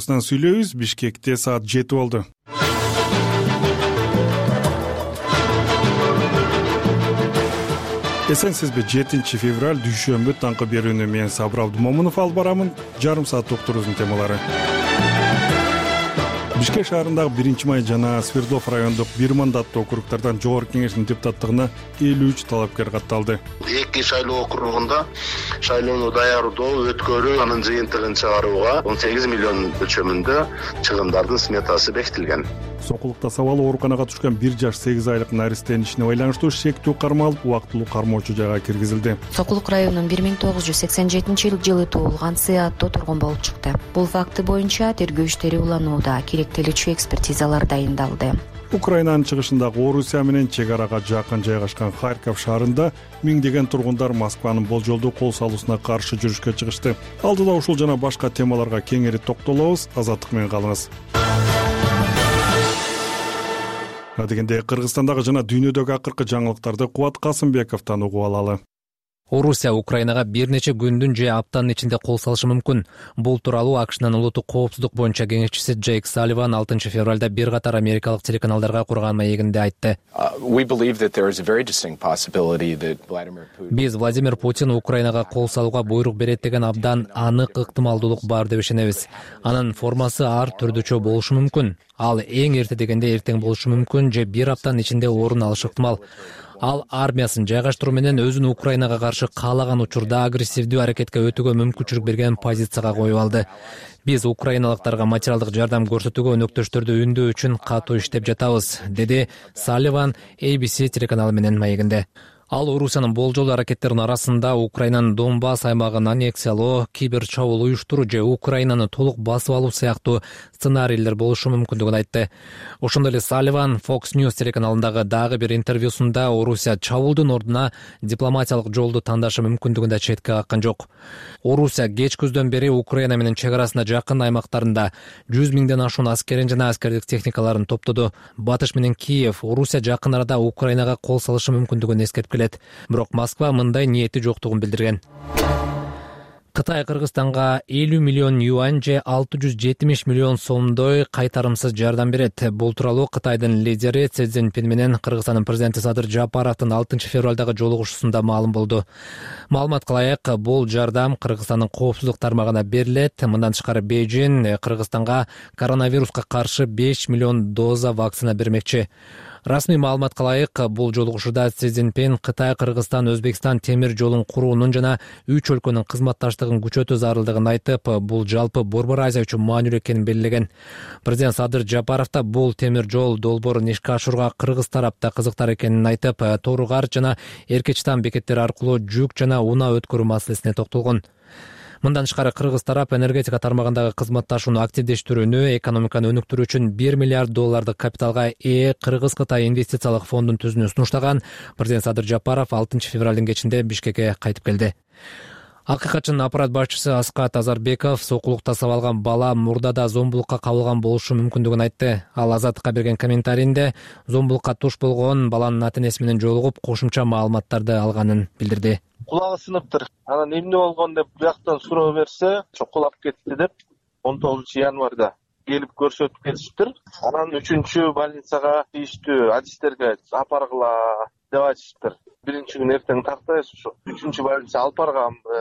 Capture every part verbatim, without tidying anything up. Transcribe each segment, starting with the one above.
Сүйлөйбүз. Бишкекте саат жети болду. Эсенсизби? жетинчи февраль дүйшөмбү таңкы берүүнү мен Сабыр Абдумомунов алып барамын. Жарым саат уктуруубуздун темалары. Бишкек шаарындагы биринчи май жана Свердлов райондук бир мандаттуу округдардан жогорку кеңештин депутаттыгына элүү үч талапкер катталды. Эки шайлоо округунда шайлоону даярдоо, өткөрүү, анын жыйынтыгын чыгарууга он сегиз миллион өлчөмүндө чыгымдардын сметасы бекитилген. Сокулукта сабалы ооруканага түшкөн бир жаш сегиз айлык наристенин ишине байланыштуу шектүү кармалып, убактылуу кармоочу жайга киргизилди. Сокулук районунун бир миң тогуз жүз сексен жетинчи жылы туулган С аттуу тургун болуп чыкты. Бул факты боюнча тергөө иштери уланууда, керектелүүчү экспертизалар дайындалды. Украинанын чыгышындагы Орусия менен чек арага жакын жайгашкан Харьков шаарында миңдеген тургундар Москванын болжолдуу кол салуусуна каршы жүрүшкө чыгышты. Алдыда ушул жана башка темаларга кеңири токтолобуз. Азаттык менен калыңыз. Адегенде Кыргызстандагы жана дүйнөдөгү акыркы жаңылыктарды Кубат Касымбековдон угуп алалы. Орусия Украинага бир нече күндүн же аптанын ичинде кол салышы мүмкүн. Бул тууралуу АКШнын улуттук коопсуздук боюнча кеңешчиси Джейк Салливан алтынчы февралда бир катар америкалык телеканалдарга курган маегинде айтты. Биз Владимир Путин Украинага кол салууга буйрук берет деген абдан анык ыктымалдуулук бар деп ишенебиз. Анын формасы ар түрдүчө болушу мүмкүн. Ал эң эрте дегенде эртең болушу мүмкүн же бир аптанын ичинде орун алышы ыктымал. Ал армиясын жайгаштыруу менен өзүн Украинага каршы каалаган учурда агрессивдүү аракетке өтүүгө мүмкүнчүлүк берген позицияга коюп алды. Биз украиналыктарга материалдык жардам көрсөтүүгө өнөктөштөрдү үндөө үчүн катуу иштеп жатабыз, деди Салливан эй би си телеканалы менен маегинде. Ал Орусиянын болжолдуу аракеттеринин арасында Украинанын Донбасс аймагын аннексиялоо, кибер чабуул уюштуруу же Украинаны толук басып алуу сыяктуу сценарийлер болушу мүмкүндүгүн айтты. Ошондой эле Салливан Fox News телеканалындагы дагы бир интервьюсунда Орусия чабуулдун ордуна дипломатиялык жолду тандашы мүмкүндүгүн да четке каккан жок. Орусия кеч күздөн бери Украина менен чек арасына жакын аймактарында жүз миңден ашуун аскерин жана аскердик техникаларын топтоду. Батыш менен Киев Орусия жакын арада Украинага кол салышы мүмкүндүгүн эскертип, бирок Москва мындай ниети жоктугун билдирген. Кытай Кыргызстанга элүү миллион юань же алты жүз жетимиш миллион сомдой кайтарымсыз жардам берет. Бул тууралуу Кытайдын лидери Си Цзиньпин менен Кыргызстандын президенти Садыр Жапаровдун алтынчы февралдагы жолугушуусунда маалым болду. Маалымат кылайык, бул жардам Кыргызстандын коопсуздук тармагына берилет. Мындан тышкары Бейжин Кыргызстанга коронавируска каршы беш миллион доза вакцина бермекчи. Расмий маалымат кылайык, бул жолугушууда Си Цзиньпин Кытай, Кыргызстан, Өзбекстан темир жолун куруунун жана үч өлкөнүн кызматташтыгын күчөтүү зарылдыгын айтып, бул жалпы Борбор Азия үчүн маанилүү экенин белгилеген. Президент Садыр Жапаров да бул темир жол долбоорун ишке ашырууга кыргыз тарапта кызыктар экенин айтып, Тооругар жана Эркечтан бекеттери аркылуу жүк жана унаа өткөрүү маселесине токтолгон. Мындан тышкары кыргыз тарап энергетика тармагындагы кызматташууну активдештирүүнү, экономиканы өнүктүрүү үчүн бир миллиард доллардык капиталга ээ Кыргыз-Кытай инвестициялык фондун түзүүнү сунуштаган. Президент Садыр Жапаров алтынчы февралдын кечинде Бишкекке кайтып келди. Акыйкатчынын аппарат башчысы Аскат Азарбеков сокулукта сабалган бала мурдада зомбулукка кабылган болушу мүмкүндүгүн айтты. Ал Азаттыкка берген комментарийинде зомбулукка туш болгон баланын ата-энеси менен жолугуп, кошумча маалыматтарды алганын билдирди. Кулагы сыныптыр. Анан эмне болгон деп буяктан суроо берсе, чокулап кетти деп он тогузунчу январда келип көрсөтүп кетиштир. Анан үчүнчү больницага тийиштүү адистерге апаргыла деп айтыштыр. Биринчи күн эртең тактайбыз, ушу үчүнчү больница алып барганбы,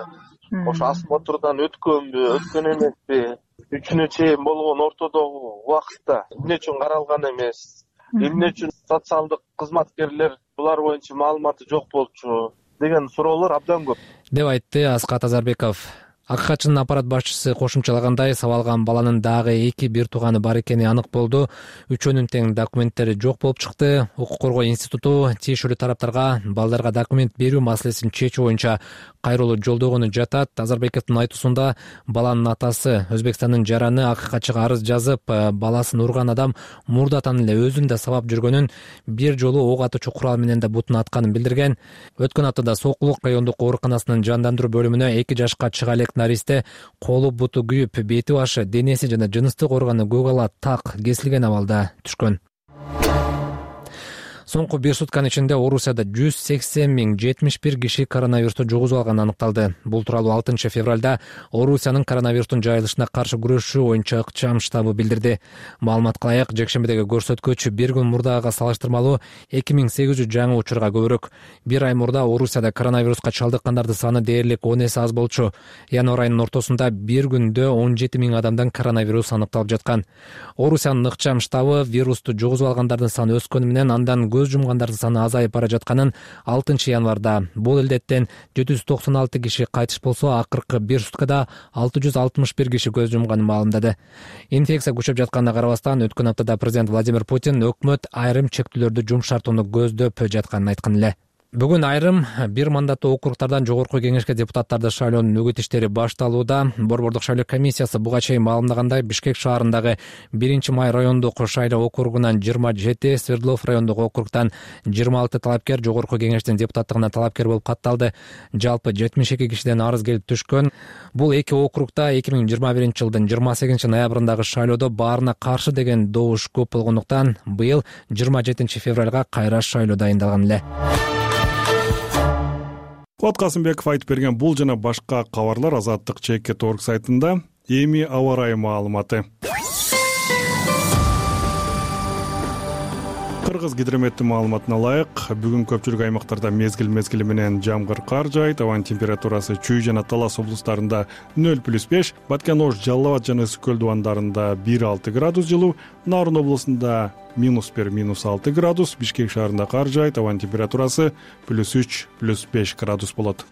ошо осмотрдан өткөнбү, өткөн эмеспи, үчүнө чейин болгон ортодогу убакытта эмне үчүн каралган эмес, эмне үчүн социалдык кызматкерлер булар боюнча маалыматы жок болчу деген суроолор абдан көп, деп айтты Аскат Азарбеков. Акыйкатчынын аппарат башчысы кошумчалагандай, сабалган баланын дагы эки бир тууганы бар экени анык болду. Үчөөнүн тең документтери жок болуп чыкты. Укук коргоо институту тиешелүү тараптарга балдарга документ берүү маселесин чечүү боюнча кайрылуу жолдогону жатат. Азарбековдун айтуусунда баланын атасы Өзбекстандын жараны акыйкатчыга арыз жазып, баласын урган адам мурдатан эле өзүн да сабап жүргөнүн, бир жолу ок атуучу курал менен да бутун атканын билдирген. Өткөн аптада Сокулук райондук ооруканасынын жандандыруу бөлүмүнө эки жашка чыга элек наристе колу буту күйүп, бети башы, денеси жана жыныстык органы көк ала так кесилген абалда түшкөн. Соңку бир сутканын ичинде Орусияда жүз сексен миң жетимиш бир киши коронавирусту жугузуп алганы аныкталды. Бул тууралуу алтынчы февралда Орусиянын коронавирустун жайылышына каршы күрөшүү боюнча ыкчам штабы билдирди. Маалыматка ылайык, жекшембидеги көрсөткүч бир күн мурдагыга салыштырмалуу эки миң сегиз жүз жаңы учурга көбүрөөк. Бир ай мурда Орусияда коронавируска чалдыккандардын саны дээрлик он эсе аз болчу. Январь айынын ортосунда бир күндө он жети миң адамдан коронавирус аныкталып жаткан. Орусиянын ыкчам штабы вирусту жугузуп алгандардын саны өскөнү менен андан көз жумгандардын саны азайып бара жатканын алтынчы январда. Бул илдеттен жети жүз токсон алты киши кайтыш болсо, акыркы бир суткада алты жүз алтымыш бир киши көз жумганын маалымдады. Инфекция күчөп жатканына карабастан, өткөн аптада президент Владимир Путин өкмөт айрым чектөөлөрдү жумшартууну көздөп жатканын айткан эле. Бүгүн айрым бир мандаттуу округтардан жогорку кеңешке депутаттарды шайлоонун үгүт иштери башталууда. Борбордук шайлоо комиссиясы буга чейин маалымдагандай, Бишкек шаарындагы биринчи май райондук шайлоо округунан жыйырма жети, Свердлов райондук округтан жыйырма алты талапкер жогорку кеңештин депутаттыгына талапкер болуп катталды. Жалпы жетимиш эки кишиден арыз келип түшкөн. Бул эки округта эки миң жыйырма биринчи жылдын жыйырма сегизинчи ноябрындагы шайлоодо баарына каршы деген добуш көп болгондуктан быйыл жыйырма жетинчи февралга кайра шайлоо дайындалган эле. Куат Касымбеков айтып берген бул жана башка кабарлар Азаттык чекит точка орг сайтында. Эми аба ырайы маалыматы. Кыргыз гидрометтин маалыматына ылайык, бүгүн көпчүлүк аймактарда мезгил мезгили менен жамгыр, кар жаайт. Абанын температурасы Чүй жана Талас облустарында нөл плюс беш, Баткен, Ош, Жалал Абад жана Үскөл дубандарында бир алты градус жылуу, Нарын облусунда минус бир, минус алты градус, Бишкек шаарында кар жаайт. Абанын температурасы плюс үч, плюс беш градус болот.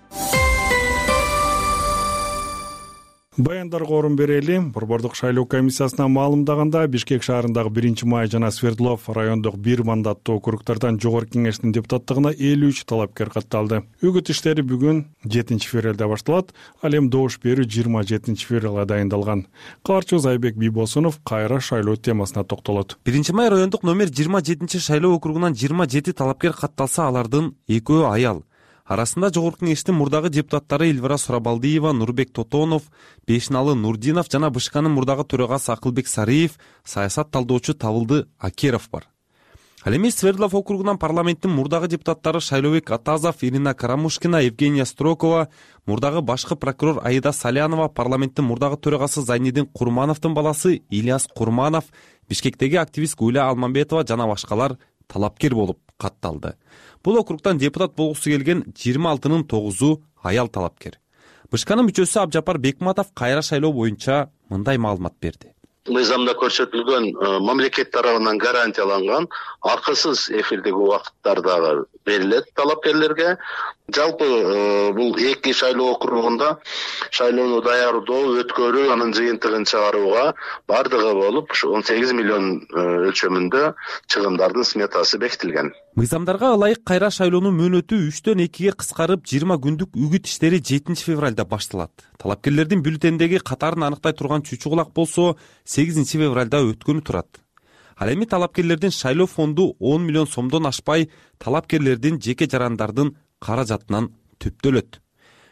Баяндарга орун берели. Борбордук шайлоо комиссиясына маалымдаганда, Бишкек шаарындагы биринчи май жана Свердлов райондук бир мандаттуу округтардан жогорку кеңештин депутаттыгына элүү үч талапкер катталды. Үгүт иштери бүгүн жетинчи февралда башталат, ал эми добуш берүү жыйырма жетинчи февралга дайындалган. Каарчыбыз Айбек Бийбосунов кайра шайлоо темасына токтолот. биринчи май райондук номер жыйырма жетинчи шайлоо округунан жыйырма жети талапкер катталса, алардын экөө аял. Арасында жогорку кеңештин мурдагы депутаттары Эльвира Сурабалдиева, Нурбек Тотонов, Бешналы Нурдинов жана БШКнын мурдагы төрагасы Акылбек Сариев, саясат талдоочу Табылды Акеров бар. Ал эми Свердлов округунан парламенттин мурдагы депутаттары Шайлообек Атазов, Ирина Карамушкина, Евгения Строкова, мурдагы башкы прокурор Аида Салянова, парламенттин мурдагы төрагасы Зайнидин Курмановдун баласы Ильяс Курманов, Бишкектеги активист Гуля Алмамбетова жана башкалар талапкер болуп катталды. Бул округтан депутат болгусу келген жыйырма алтынын тогузу аял талапкер. БШКнын мүчөсү Абжапар Бекматов кайра шайлоо боюнча мындай маалымат берди. Мыйзамда көрсөтүлгөн мамлекет тарабынан гарантияланган акысыз эфирдеги убакыттарда берилет талапкерлерге. Жалпы бул эки шайлоо округунда шайлоону даярдоо, өткөрүү, анын жыйынтыгын чыгарууга бардыгы болуп он сегиз миллион өлчөмүндө чыгымдардын сметасы бекитилген. Мыйзамдарга ылайык кайра шайлоонун мөөнөтү үчтөн экиге кыскарып, жыйырма күндүк үгүт иштери жетинчи февралда башталат. Талапкерлердин бюллетендеги катарын аныктай турган чүчү кулак болсо сегизинчи февралда өткөнү турат. Ал эми талапкерлердин шайлоо фонду он миллион сомдон ашпай, талапкерлердин жеке жарандардын каражатынан түптөлөт.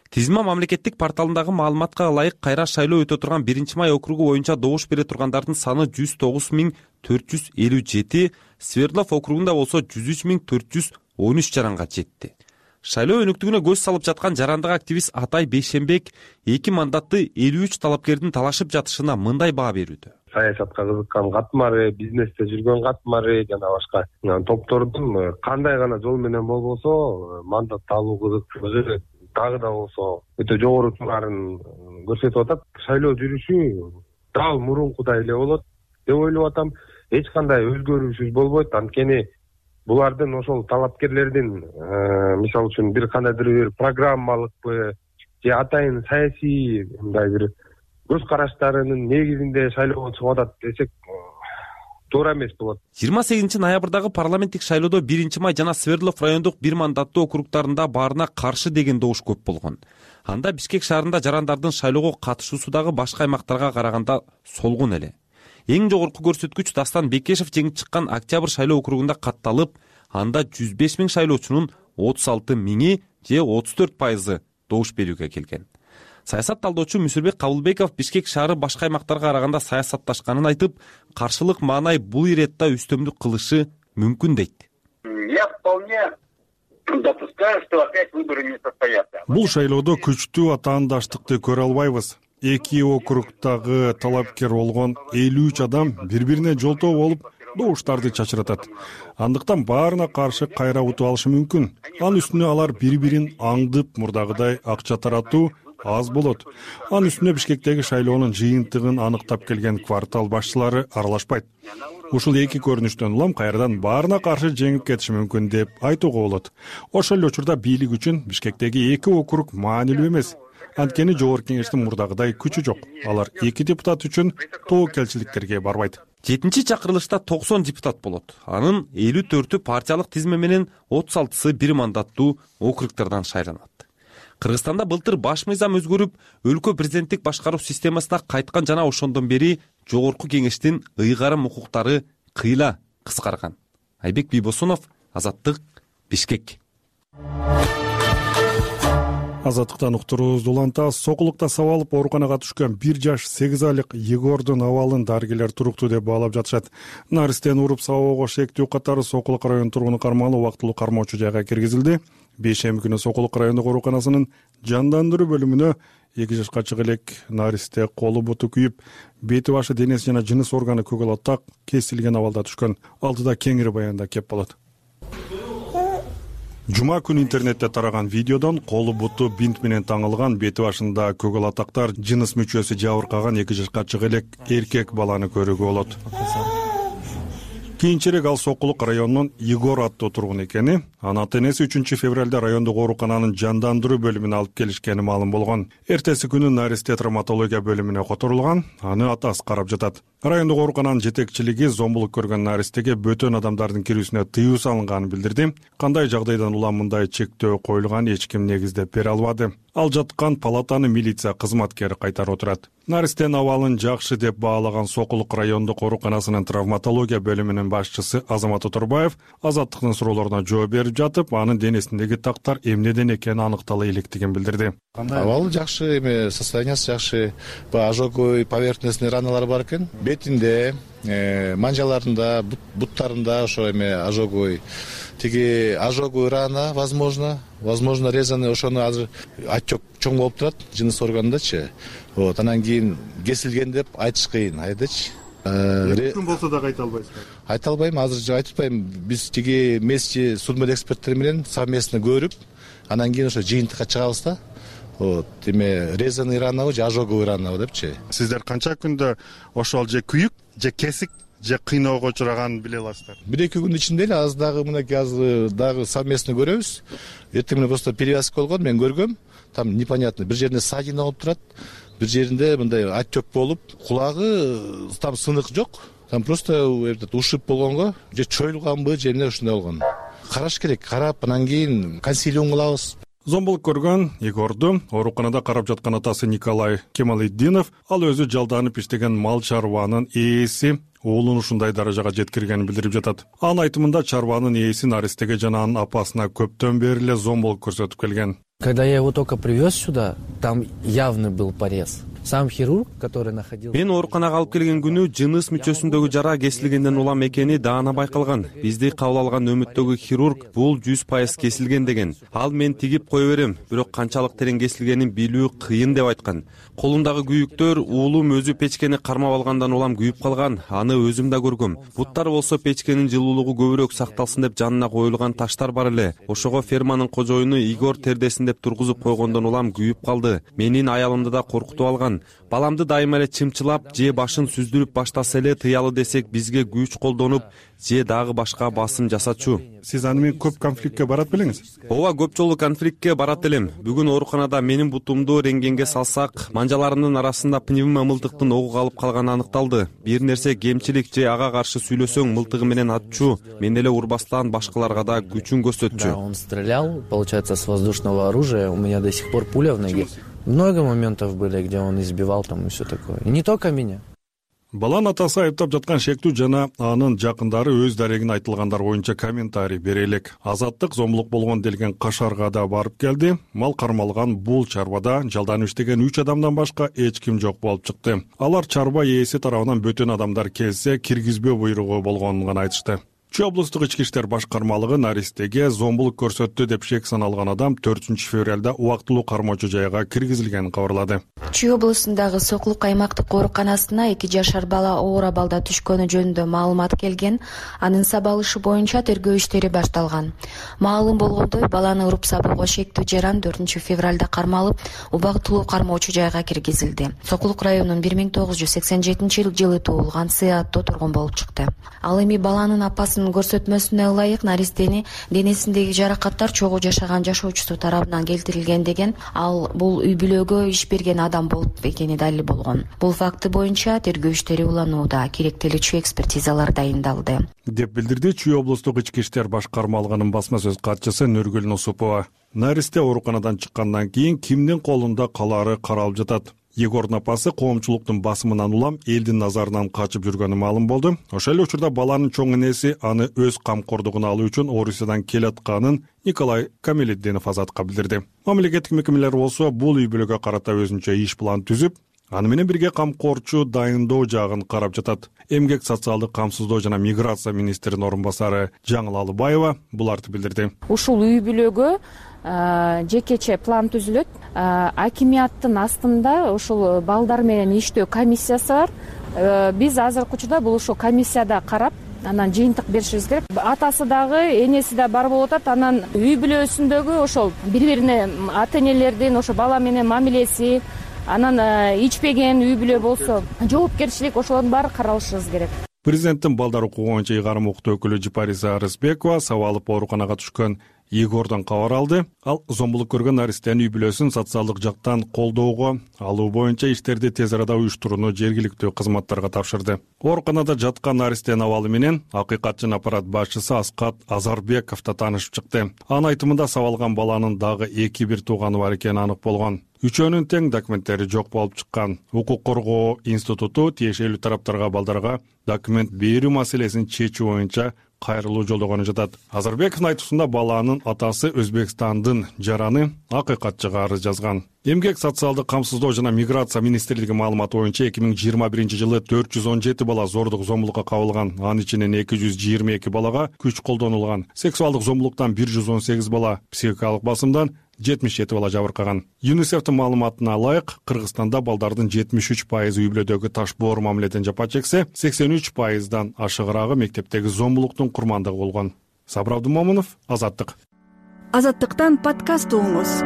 Тизма мамлекеттик порталындагы маалыматка ылайык кайра шайлоо өтө турган биринчи май округу боюнча добуш бере тургандардын саны жүз тогуз миң төрт жүз элүү жети, Свердлов округунда болсо жүз үч миң төрт жүз он үч жаранга жетти. Шайлоо өнүктүгүнө көз салып жаткан жарандык активист Атай Бейшембек эки мандатты элүү үч талапкердин талашып жатышына мындай баа берүүдө. Саясатка кызыккан катмары, бизнесте жүргөн катмары жана башка топтордун кандай гана жол менен болбосо мандат алуу кызыкчылыгы дагы да болсо өтө жогору турарын көрсөтүп атат. Шайлоо жүрүшү дал мурункудай эле болот деп ойлоп атам. Эч кандай өзгөрүүсүз болбойт. Анткени булардын ошол талапкерлердин мисалы үчүн бир кандайдыр бир программалыкпы же атайын саясий мындай бир көз караштарынын негизинде шайлоого чыгып атат десек туура эмес болот. жыйырма сегизинчи ноябрдагы парламенттик шайлоодо биринчи май жана Свердлов райондук бир мандаттуу округтарында баарына каршы деген добуш көп болгон. Анда Бишкек шаарында жарандардын шайлоого катышуусу дагы башка аймактарга караганда солгун эле. Эң жогорку көрсөткүч Дастан Бекешев жеңип чыккан Октябрь шайлоо округунда катталып, анда жүз беш миң шайлоочунун отуз алты миңи же отуз төрт пайызы добуш берүүгө келген. Саясат талдоочу Мүсүрбек Кабылбеков Бишкек шаары башка аймактарга караганда саясатташканын айтып, каршылык маанай бул иретта үстөмдүк кылышы мүмкүн дейт. я вполне допускаю, что опять выборы не состоятся. Бул шайлоодо күчтүү атаандаштыкты көрө албайбыз. Эки округдагы талапкер болгон элүү үч адам бири-бирине жолтоо болуп добуштарды чачыратат. Андыктан баарына каршы кайра утуп алышы мүмкүн. Анын үстүнө алар бири-бирин аңдып мурдагыдай акча таратуу аз болот. Анын үстүнө Бишкектеги шайлоонун жыйынтыгын аныктап келген квартал башчылары аралашпайт. Ушул эки көрүнүштөн улам кайрадан баарына каршы жеңип кетиши мүмкүн деп айтууга болот. Ошол эле учурда бийлик үчүн Бишкектеги эки округ маанилүү эмес. Анткени жогорку кеңештин мурдагыдай күчү жок. Алар эки депутат үчүн тобокелчиликтерге барбайт. жетинчи чакырылышта токсон депутат болот. Анын элүү төртү партиялык тизме менен отуз алтысы бир мандаттуу округдардан шайланат. Кыргызстанда былтыр баш мыйзам өзгөрүп, өлкө президенттик башкаруу системасына кайткан жана ошондон бери жогорку кеңештин ыйгарым укуктары кыйла кыскарган. Айбек Бийбосунов, Азаттык, Бишкек. Азаттыктан уктуруубузду улантабыз. Сокулукта сабалып ооруканага түшкөн бир жаш сегиз айлык Егордун абалын дарыгерлер туруктуу деп баалап жатышат. Наристен уруп сабоого шектүү катары Сокулук районунун тургуну кармалуу убактылуу кармоочу жайга киргизилди. Бейшемби күнү Сокулук райондук ооруканасынын жандандыруу бөлүмүнө эки жашка чыга элек Наристе колу буту күйүп, бети башы денеси жана жыныс органы көгөлөт так кесилген абалда түшкөн. Алдыда кеңири баянда кеп болот. Жума күнү интернетте тараган видеодон колу буту бинт менен таңылган, бети башында көгөл атактар, жыныс мүчөсү жабыркаган эки жашка чыга элек эркек баланы көрүүгө болот. Кийинчерээк ал Сокулук районунун Егор аттуу тургун экени, анын ата-энеси үчүнчү февралда райондук оорукананын жандандыруу бөлүмүнө алып келишкени маалым болгон. Эртеси күнү Наристе травматология бөлүмүнө которулган, аны атасы карап жатат. Райондук оорукананын жетекчилиги зомбулук көргөн Наристеге бөтөн адамдардын кирүүсүнө тыюу салынганын билдирди. Кандай жагдайдан улам мындай чектөө коюлган эч ким негиздеп бере албады. Ал жаткан палатаны милиция кызматкери кайтарып отурат. Наристен абалын жакшы деп баалаган Сокулук райондук ооруканасынын травматология бөлүмүнүн башчысы Азамат Оторбаев Азаттыктын суроолоруна жооп берип жатып, анын денесиндеги тактар эмнеден экени аныктала электигин билдирди. Абалы жакшы, эме состояниясы жакшы. Ожоговый поверхностный раналар бар экен. Бетинде, манжаларында, буттарында ошо эме ожоговый. Тиги ожоговый рана, возможно, возможно резаный, ошону азыр отек чоң болуп турат жыныс органындачы. Вот, анан кийин кесилген деп айтыш кыйын, айдачы. Мүмкүн болсо да айта албайсызбы? Айта албайм, азыр айтып атпайм. Биз тиги месте судмедэксперттер менен совместно көрүп, анан кийин ошо жыйынтыкка чыгабыз да. Вот, эме резаный ранабы же ожоговый ранабы депчи. Сиздер канча күндө ошол же күйүк, же кесик, же кыйноого учураганын биле аласыздар? Бир-эки күндүн ичинде эле азыр дагы мынакей азыр дагы совместно көрөбүз. Эртең менен просто перевязка болгон, мен көргөм. Там непонятно, бир жеринде ссадина болуп турат, бир жеринде мындай отек болуп, кулагы там сынык жок. Там просто этот ушиб болгонго, же чоюлганбы, же эмне ушундай болгон. Караш керек, карап анан кийин консилиум кылабыз. Зомбулук көргөн Егорду ооруканада карап жаткан атасы Николай Кемалетдинов, ал өзү жалданып иштеген мал чарбанын ээси уулун ушундай даражага жеткиргенин билдирип жатат. Анын айтымында чарбанын ээси Наристеге жана анын апасына көптөн бери эле зомбулук көрсөтүп келген. Когда я его только привез сюда, там явный был порез. Сам хирург, который находился... Мен ооруканага алып келген күнү жыныс мүчөсүндөгү жара кесилгенден улам экени даана байкалган. Бизди кабыл алган нөмөттөгү хирург бул жүз пайыз кесилген деген. Ал мен тигип кое берем, бирок канчалык терең кесилгенин билүү кыйын деп айткан. Колундагы күйүктөр уулум өзү печкени кармап алгандан улам күйүп калган. Аны өзүм да көргөм. Буттар болсо печкенин жылуулугу көбүрөөк сакталсын деп жанына коюлган таштар бар эле. Ошого ферманын кожоюну Игор тердесин деп тургузуп койгондон улам күйүп калды. Менин аялымды да коркутуп алган. Баламды дайыма эле чымчылап, же башын сүздүрүп баштаса эле тыялы десек, бизге күч колдонуп, же дагы башка басым жасачу. Сиз аны менен көп конфликтке барат белеңиз? Ооба, көп жолу конфликтке барат элем. Бүгүн ооруканада менин бутумду рентгенге салсак, манжаларымдын арасында пневмо мылтыктын огу калып калганы аныкталды. Бир нерсе кемчилик же ага каршы сүйлөсөң мылтыгы менен атчу, мен эле урбастан башкаларга да күчүн көрсөтчү. Да, он стрелял, получается, с воздушного оружия. У меня до сих пор пуля в ноге. Много моментов были, где он избивал там и все такое. И не только меня. Баланын атасы айыптап жаткан шектүү жана анын жакындары өз дарегин айтылгандар боюнча комментарий бере элек. Азаттык зомбулук болгон делген Кашарга да барып келди. Мал кармалган бул чарбада жалданып иштеген үч адамдан башка эч ким жок болуп чыкты. Алар чарба ээси тарабынан бөтөн адамдар келсе киргизбөө буйругу болгонун гана айтышты. Чүй облустук ички иштер башкармалыгы Наристеге зомбулук көрсөттү деп шек саналган адам төртүнчү февралда убактылуу кармоочу жайга киргизилгенин кабарлады. Чүй облусундагы Сокулук аймактык ооруканасына эки жашар бала оор абалда түшкөнү жөнүндө маалымат келген. Анын сабалышы боюнча тергөө иштери башталган. Маалым болгондой, баланы уруп сабоого шектүү жаран төртүнчү февралда кармалып, убактылуу кармоочу жайга киргизилди. Сокулук районунун бир миң тогуз жүз сексен жетинчи жылы туулган Сыяаттуу тургун болуп чыкты. Ал эми баланын апасынын көрсөтмөсүнө ылайык Наристени денесиндеги жаракаттар чогуу жашаган жашоочусу тарабынан келтирилген деген. Ал бул үй бүлөгө иш берген адам болуп экени далил болгон. Бул факты боюнча тергөө иштери уланууда, керектелүүчү экспертизалар дайындалды, деп билдирди Чүй облустук ички иштер башкармалыгынын басма сөз катчысы Нургүл Нусупова. Наристе ооруканадан чыккандан кийин кимдин колунда калаары каралып жатат. Егордун апасы коомчулуктун басымынан улам элдин назарынан качып жүргөнү маалым болду. Ошол эле учурда баланын чоң энеси аны өз камкордугуна алуу үчүн Орусиядан келатканын Николай Камелетдинов Азатка билдирди. Мамлекеттик мекемелер болсо бул үй бүлөгө карата өзүнчө иш план түзүп, аны менен бирге камкорчу дайындоо жагын карап жатат. Эмгек социалдык камсыздоо жана миграция министринин орун басары Жаңыл Алыбаева буларды билдирди. Ушул үй бүлөгө жекече план түзүлөт. Акимияттын астында ушул балдар менен иштөө комиссиясы бар. Биз азыркы учурда бул ушул комиссияда карап, анан жыйынтык беришибиз керек. Атасы дагы, энеси да бар болуп атат. Анан үй бүлөсүндөгү ошол бири-бирине ата энелердин ошо бала менен мамилеси, анан ичпеген үй бүлө болсо жоопкерчилик, ошолордун баары каралышыбыз керек. Президенттин балдар укугу боюнча ыйгарым укуктуу өкүлү Жипариса Арысбекова сабалып ооруканага түшкөн Егордон кабар алды. Ал зомбулук көргөн Наристенин үй бүлөсүн социалдык жактан колдоого алуу боюнча иштерди тез арада уюштурууну жергиликтүү кызматтарга тапшырды. Ооруканада жаткан Наристенин абалы менен акыйкатчын аппарат башчысы Аскат Азарбеков да таанышып чыкты. Анын айтымында сабалган баланын дагы эки бир тууганы бар экени анык болгон. Үчөөнүн тең документтери жок болуп чыккан. Укук коргоо институту тиешелүү тараптарга балдарга документ берүү маселесин чечүү боюнча кайрылуу жолдогону жатат. Азарбековдун айтуусунда баланын атасы Өзбекстандын жараны акыйкатчыга арыз жазган. Эмгек социалдык камсыздоо жана миграция министрлиги маалыматы боюнча эки миң жыйырма биринчи жылы төрт жүз он жети бала зордук зомбулукка кабылган. Анын ичинен эки жүз жыйырма эки балага күч колдонулган. Сексуалдык зомбулуктан бир жүз он сегиз бала, психикалык басымдан жетимиш жети бала жабыркаган. ЮНИСЕФтин маалыматына ылайык, Кыргызстанда балдардын жетимиш үч пайызы үй бүлөдөгү ташбоор мамиледен жапа чексе, сексен үч пайыздан ашыгыраагы мектептеги зомбулуктун курмандыгы болгон. Сабыр Абдумомунов, Азаттык. Азаттыктан подкаст угуңуз.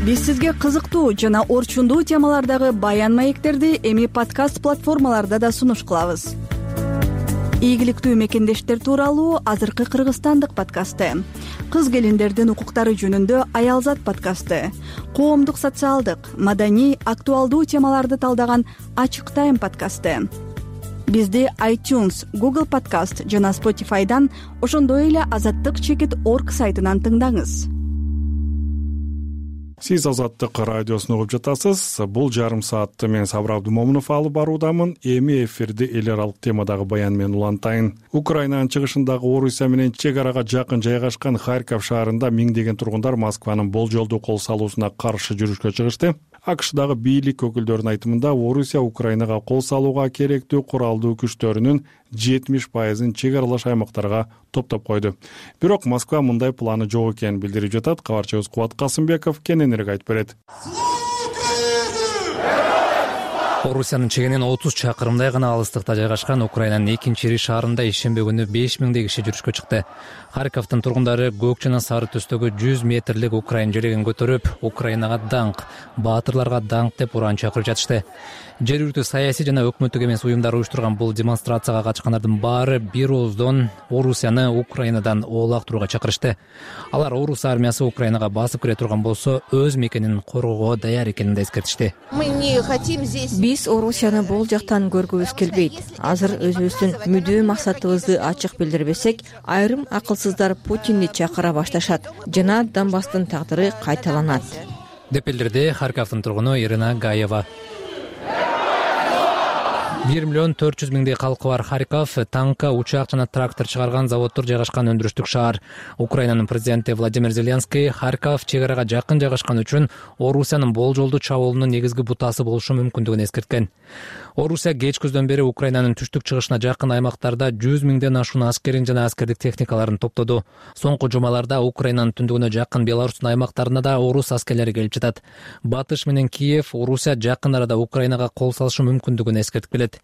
Биз сизге кызыктуу жана орчундуу темалардагы баян маектерди эми подкаст платформаларда да сунуш кылабыз. Ийгиликтүү мекендештер тууралуу азыркы Кыргызстандык подкасты, кыз келиндердин укуктары жөнүндө Аялзат подкасты, коомдук социалдык, маданий, актуалдуу темаларды талдаган Ачык Тайм подкасты. Бизди iTunes, Google Podcast жана Spotify'дан, ошондой эле азаттык чекит точка орг сайтынан тыңдаңыз. Сиз Азаттык радиосун угуп жатасыз. Бул жарым саатты мен Сабыр Абдумомунов алып баруудамын. Эми эфирди эл аралык темадагы баян менен улантайын. Украинанын чыгышындагы Орусия менен чек арага жакын жайгашкан Харьков шаарында миңдеген тургундар Москванын болжолдуу кол салуусуна каршы жүрүшкө чыгышты. АКШдагы бийлик өкүлдөрүнүн айтымында Орусия Украинага кол салууга керектүү куралдуу күчтөрүнүн жетимиш пайызын чек аралаш аймактарга топтоп койду. Бирок Москва мындай планы жок экенин билдирип жатат. Кабарчыбыз Кубат Касымбеков кененирээк айтып берет. Орусиянын чегинен отуз чакырымдай гана алыстыкта жайгашкан Украинанын экинчи ири шаарында ишембе күнү беш миңдей киши жүрүшкө чыкты. Харьковдун тургундары көк жана сары түстөгү жүз метрлик Украин желегин көтөрүп, Украинага даңк, баатырларга даңк деп уран чакырып жатышты. Жергиликтүү саясий жана өкмөттүк эмес уюмдар уюштурган бул демонстрацияга катышкандардын баары бир ооздон Орусияны Украинадан оолактырууга чакырышты. Алар Орус армиясы Украинага басып кире турган болсо, өз мекенин коргоого даяр экенин да эскертишти. Биз Орусияны бул жактан көргүбүз келбейт. Азыр өзүбүздүн мүдөө максатыбызды ачык билдирбесек, айрым акылсыздар Путинди чакыра башташат жана Донбасстын тагдыры кайталанат, деп билдирди Харьковдун тургуну Ирина Гаева. бир миллион төрт жүз миңдей калкы бар Харьков танка, учак жана трактор чыгарган заводдор жайгашкан өндүрүштүк шаар. Украинанын президенти Владимир Зеленский Харьков чек арага жакын жайгашкан үчүн Орусиянын болжолдуу чабуулунун негизги бутасы болушу мүмкүндүгүн эскерткен. Орусия кечкүздөн бери Украинанын түштүк чыгышына жакын аймактарда жүз миңден ашуун аскерин жана аскердик техникаларын топтоду. Соңку жумаларда Украинанын түндүгүнө жакын Беларустун аймактарына да орус аскерлери келип жатат. Батыш менен Киев Орусия жакын арада Украинага кол салышы мүмкүндүгүн эскертип келет.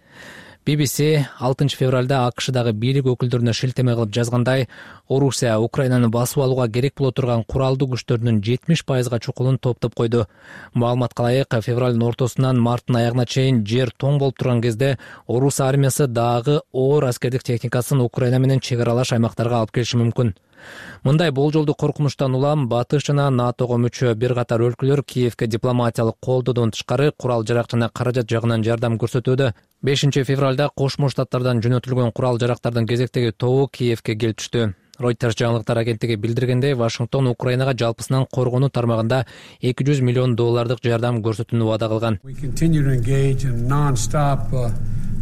би би си алтынчы февралда АКШдагы бийлик өкүлдөрүнө шилтеме кылып жазгандай, Орусия Украинаны басып алууга керек боло турган куралдуу күчтөрүнүн жетимиш пайызга чукулун топтоп койду. Маалыматка ылайык, февралдын ортосунан марттын аягына чейин жер тоң болуп турган кезде орус армиясы дагы оор аскердик техникасын Украина менен чек аралаш аймактарга алып келиши мүмкүн. Мындай болжолду коркунучтан улам Батыш жана НАТОго мүчө бир катар өлкөлөр Киевке дипломатиялык колдоодон тышкары курал жарак жана каражат жагынан жардам көрсөтүүдө. бешинчи февралда Кошмо Штаттардан жөнөтүлгөн курал жарактардын кезектеги тобу Киевке келип түштү. Reuters жаңылыктар агенттиги билдиргендей, Вашингтон Украинага жалпысынан коргонуу тармагында эки жүз миллион доллардык жардам көрсөтүүнү убада кылган.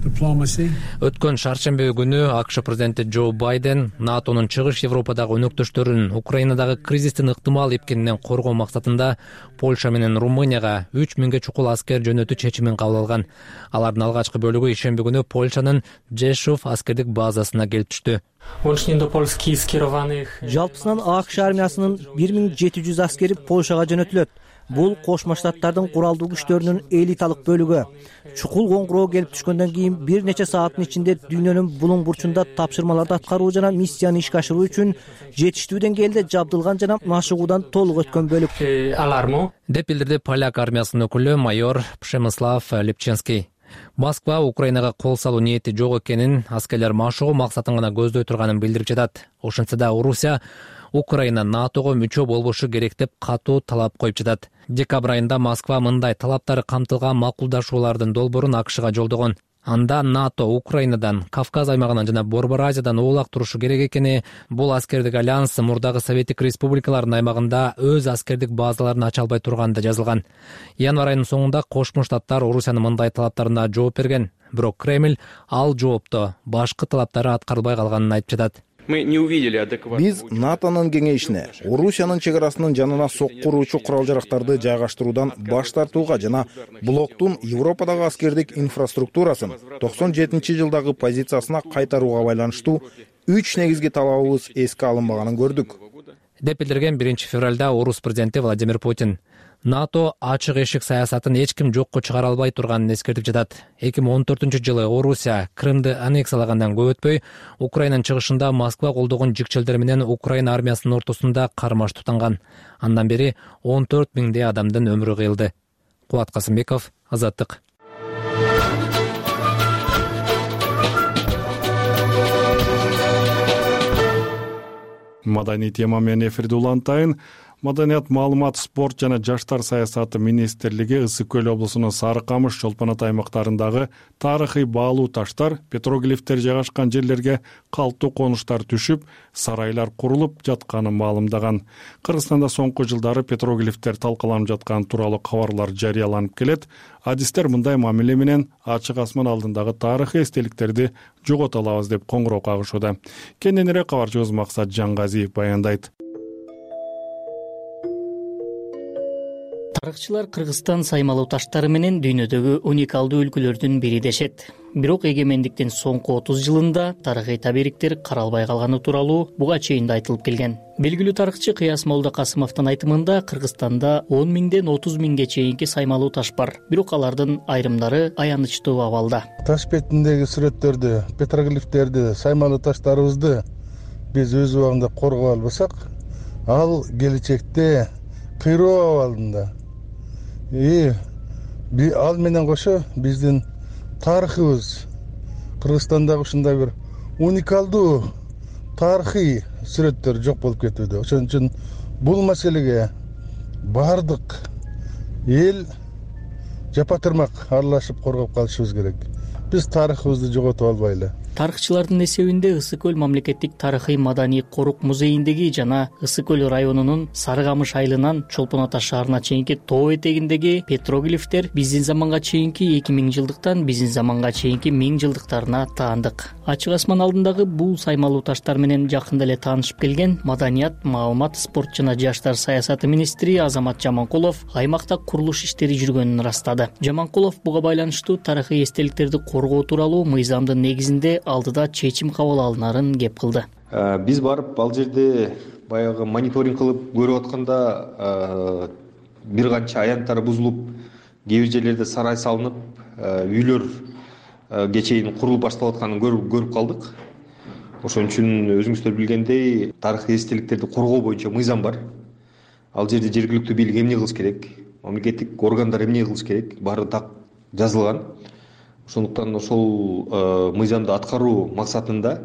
Өткөн шаршемби күнү АКШ президенти Джо Байден НАТОнун чыгыш Европадагы өнөктөштөрүн Украинадагы кризистин ыктымал эпкенинен коргоо максатында Польша менен Румынияга үч миңге чукул аскер жөнөтүү чечимин кабыл алган. Алардын алгачкы бөлүгү ишемби күнү Польшанын Жешов аскердик базасына келип түштү. Жалпысынан АКШ армиясынын бир миң жети жүз аскери Польшага жөнөтүлөт. Бул Кошмо Штаттардын куралдуу күчтөрүнүн элиталык бөлүгү. Чукул коңгуроо келип түшкөндөн кийин бир нече сааттын ичинде дүйнөнүн булуң бурчунда тапшырмаларды аткаруу жана миссияны ишке ашыруу үчүн жетиштүү деңгээлде жабдылган жана машыгуудан толук өткөн бөлүк. Деп билдирди поляк армиясынын өкүлү майор Пшемислав Липченский. Москва Украинага кол салуу ниети жок экенин, аскерлер машыгуу максатын гана көздөй турганын билдирип жатат. Ошентсе да Орусия Украина НАТОго мүчө болбошу керек деп катуу талап коюп жатат. Декабрь айында Москва мындай талаптары камтылган макулдашуулардын долбоорун АКШга жолдогон. Анда НАТО Украинадан, Кавказ аймагынан жана Борбор Азиядан оолак турушу керек экени, бул аскердик альянс мурдагы Советтик республикалардын аймагында өз аскердик базаларын ача албай турганы жазылган. Январь айынын соңунда Кошмо Штаттар Орусиянын мындай талаптарына жооп берген. Бирок Кремль ал жоопту башкы талаптары аткарылбай калганын айтып жатат. Биз НАТОнун кеңешине Орусиянын чек арасынын жанына соккуруучу курал жарактарды жайгаштыруудан баш тартууга жана блоктун Европадагы аскердик инфраструктурасын токсон жетинчи жылдагы позициясына кайтарууга байланыштуу үч негизги талабыбыз эске алынбаганын көрдүк. Деп билдирген биринчи февралда орус президенти Владимир Путин. НАТО ачык эшик саясатын эч ким жокко чыгара албай турганын эскертип жатат. эки миң он төртүнчү жылы Орусия Крымды аннексиялагандан көп өтпөй, Украинанын чыгышында Москва колдогон жикчелдер менен Украина армиясынын ортосунда кармаш тутанган. Андан бери он төрт миңдей адамдын өмүрү кыйылды. Кубат Касымбеков, Азаттык. Маданий тема менен эфирди улантайын. Маданият, маалымат, спорт жана жаштар саясаты министрлиги Ысык көл облусунун Сары Камыш, Чолпон Ата аймактарындагы тарыхый баалуу таштар, петроглифтер жайгашкан жерлерге калктуу конуштар түшүп, сарайлар курулуп жатканын маалымдаган. Кыргызстанда соңку жылдары петроглифтер талкаланып жатканы тууралуу кабарлар жарыяланып келет. Адистер мындай мамиле менен ачык асман алдындагы тарыхый эстеликтерди жогото алабыз деп коңгуроо кагышууда. Кененирээк кабарчыбыз Максат Жаңгазиев баяндайт. Тарыхчылар Кыргызстан саймалуу таштары менен дүйнөдөгү уникалдуу өлкөлөрдүн бири дешет. Бирок эгемендиктин соңку отуз жылында тарыхый табериктер каралбай калганы тууралуу буга чейин да айтылып келген. Белгилүү тарыхчы Кыяс Молда Касымовдун айтымында Кыргызстанда он миңден отуз миңге чейинки саймалуу таш бар. Бирок алардын айрымдары аянычтуу абалда. Таш бетиндеги сүрөттөрдү, петроглифтерди, саймалуу таштарыбызды биз өз убагында коргоп албасак, ал келечекте кыйроо абалында. И ал менен кошо биздин тарыхыбыз, Кыргызстандагы ушундай бир уникалдуу тарыхый сүрөттөр жок болуп кетүүдө. Ошон үчүн бул маселеге бардык эл жапа тырмак аралашып коргоп калышыбыз керек. Биз тарыхыбызды жоготуп албайлы. Тарыхчылардын эсебинде Ысык көл мамлекеттик тарыхый маданий корук музейиндеги жана Ысык көл районунун Сары камыш айылынан Чолпон Ата шаарына чейинки тоо этегиндеги петроглифтер биздин заманга чейинки эки миң жылдыктан биздин заманга чейинки миң жылдыктарына таандык. Ачык асман алдындагы бул саймалуу таштар менен жакында эле таанышып келген Маданият, маалымат, спорт жана жаштар саясаты министри Азамат Жаманкулов аймакта курулуш иштери жүргөнүн ырастады. Жаманкулов буга байланыштуу тарыхый эстеликтерди коргоо тууралуу мыйзамдын негизинде алдыда чечим кабыл алынарын кеп кылды. Биз барып ал жерде баягы мониторинг кылып көрүп атканда бир канча аянттар бузулуп, кээ бир жерлерде сарай салынып, үйлөр кечейин курулуп башталып атканын көрүп калдык. Ошон үчүн өзүңүздөр билгендей, тарыхый эстеликтерди коргоо боюнча мыйзам бар. Ал жерде жергиликтүү бийлик эмне кылыш керек, мамлекеттик органдар эмне кылыш керек, баары так жазылган. Ошондуктан ошол мыйзамды аткаруу максатында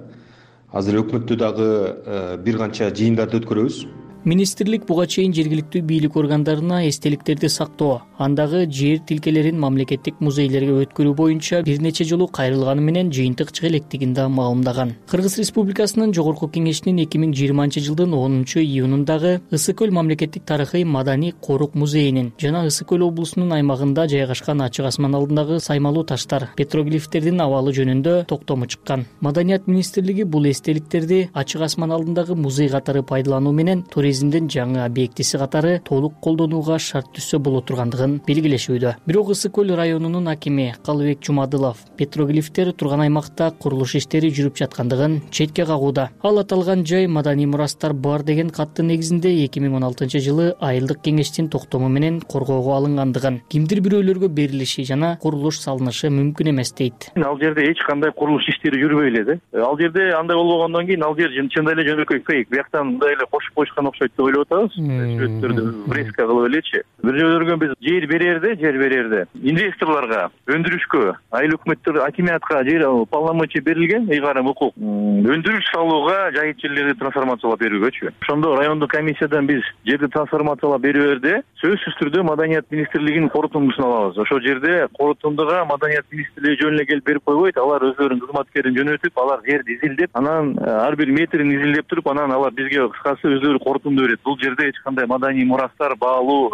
азыр өкмөттө дагы бир канча жыйындарды өткөрөбүз. Министрлик буга чейин жергиликтүү бийлик органдарына эстеликтерди сактоо, андагы жер тилкелерин мамлекеттик музейлерге өткөрүү боюнча бир нече жолу кайрылганы менен жыйынтык чыга электигин да маалымдаган. Кыргыз Республикасынын Жогорку Кеңешинин эки миң жыйырманчы жылдын онунчу июнундагы Ысык көл мамлекеттик тарыхый маданий корук музейинин жана Ысык көл облусунун аймагында жайгашкан ачык асман алдындагы саймалуу таштар, петроглифтердин абалы жөнүндө токтому чыккан. Маданият министрлиги бул эстеликтерди ачык асман алдындагы музей катары пайдалануу менен туризмдин жаңы объектиси катары толук колдонууга шарт түзсө боло тургандыгын белгилешүүдө. Бирок Ысык көл районунун акими Калыбек Жумадылов петроглифтер турган аймакта курулуш иштери жүрүп жаткандыгын четке кагууда. Ал аталган жай маданий мурастар бар деген каттын негизинде эки миң он алтынчы жылы айылдык кеңештин токтому менен коргоого алынгандыгын, кимдир бирөөлөргө берилиши жана курулуш салынышы мүмкүн эмес дейт. Ал жерде эч кандай курулуш иштери жүрбөй эле да. Ал жерде андай болбогондон кийин ал жер чындап эле жөнөкөй фейк. Бияктан мындай эле кошуп коюшкан окшойт деп ойлоп атабыз. Сүрөттөрдү фреска кылып элечи. Бир жолдорго биз жер берерде, жер берерде инвесторлорго, өндүрүшкө, айыл өкмөттөр, акимиятка жер полномочия берилген, ыйгарым укук. Өндүрүш салууга жайыт жерлерди трансформациялап берүүгөчү. Ошондо райондук комиссиядан биз жерди трансформациялап берүүбөрдө сөзсүз түрдө Маданият министрлигинин корутундусун алабыз. Ошол жерде корутундуга Маданият министрлиги жөн эле келип берип койбойт. Алар өздөрүнүн кызматкерин жөнөтүп, алар жерди изилдеп, анан ар бир метрин изилдеп туруп, анан алар бизге кыскасы өздөрү корутунду берет. Бул жерде эч кандай маданий мурастар, баалуу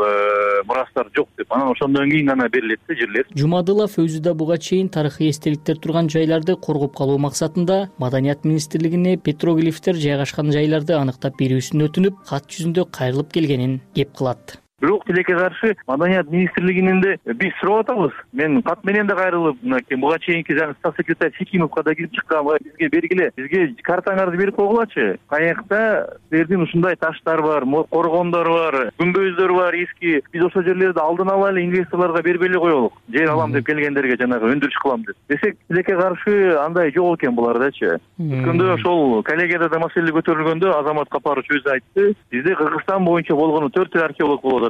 мурастар жок деп. Анан ошондон кийин гана берилет да жерлер. Жумадылов өзү да буга чейин тарыхый эстеликтер турган жайларды коргоп калуу максатында Маданият министрлигине петроглифтер жайгашкан жайларды аныктап берүүсүн өтүнүп, кат жүзүндө кайрылып келгенин кеп кылат. Бирок тилекке каршы Маданият министрлигинен да биз сурап атабыз. Мен кат менен да кайрылып, мынакей буга чейинки жаңы статс секретарь Сикимовго да кирип чыккан, бизге бергиле, бизге картаңарды берип койгулачы. Каякта силердин ушундай таштар бар, коргондор бар, күмбөздөр бар эски. Биз ошол жерлерди алдын ала эле инвесторлорго бербей эле коелук. Жер алам деп келгендерге жанагы өндүрүш кылам деп. Десек, тилекке каршы андай жок экен булардачы. Өткөндө ошол коллегияда да маселе көтөрүлгөндө Азамат Капарович өзү айтты, бизде Кыргызстан боюнча болгону төрт эл археолог болот.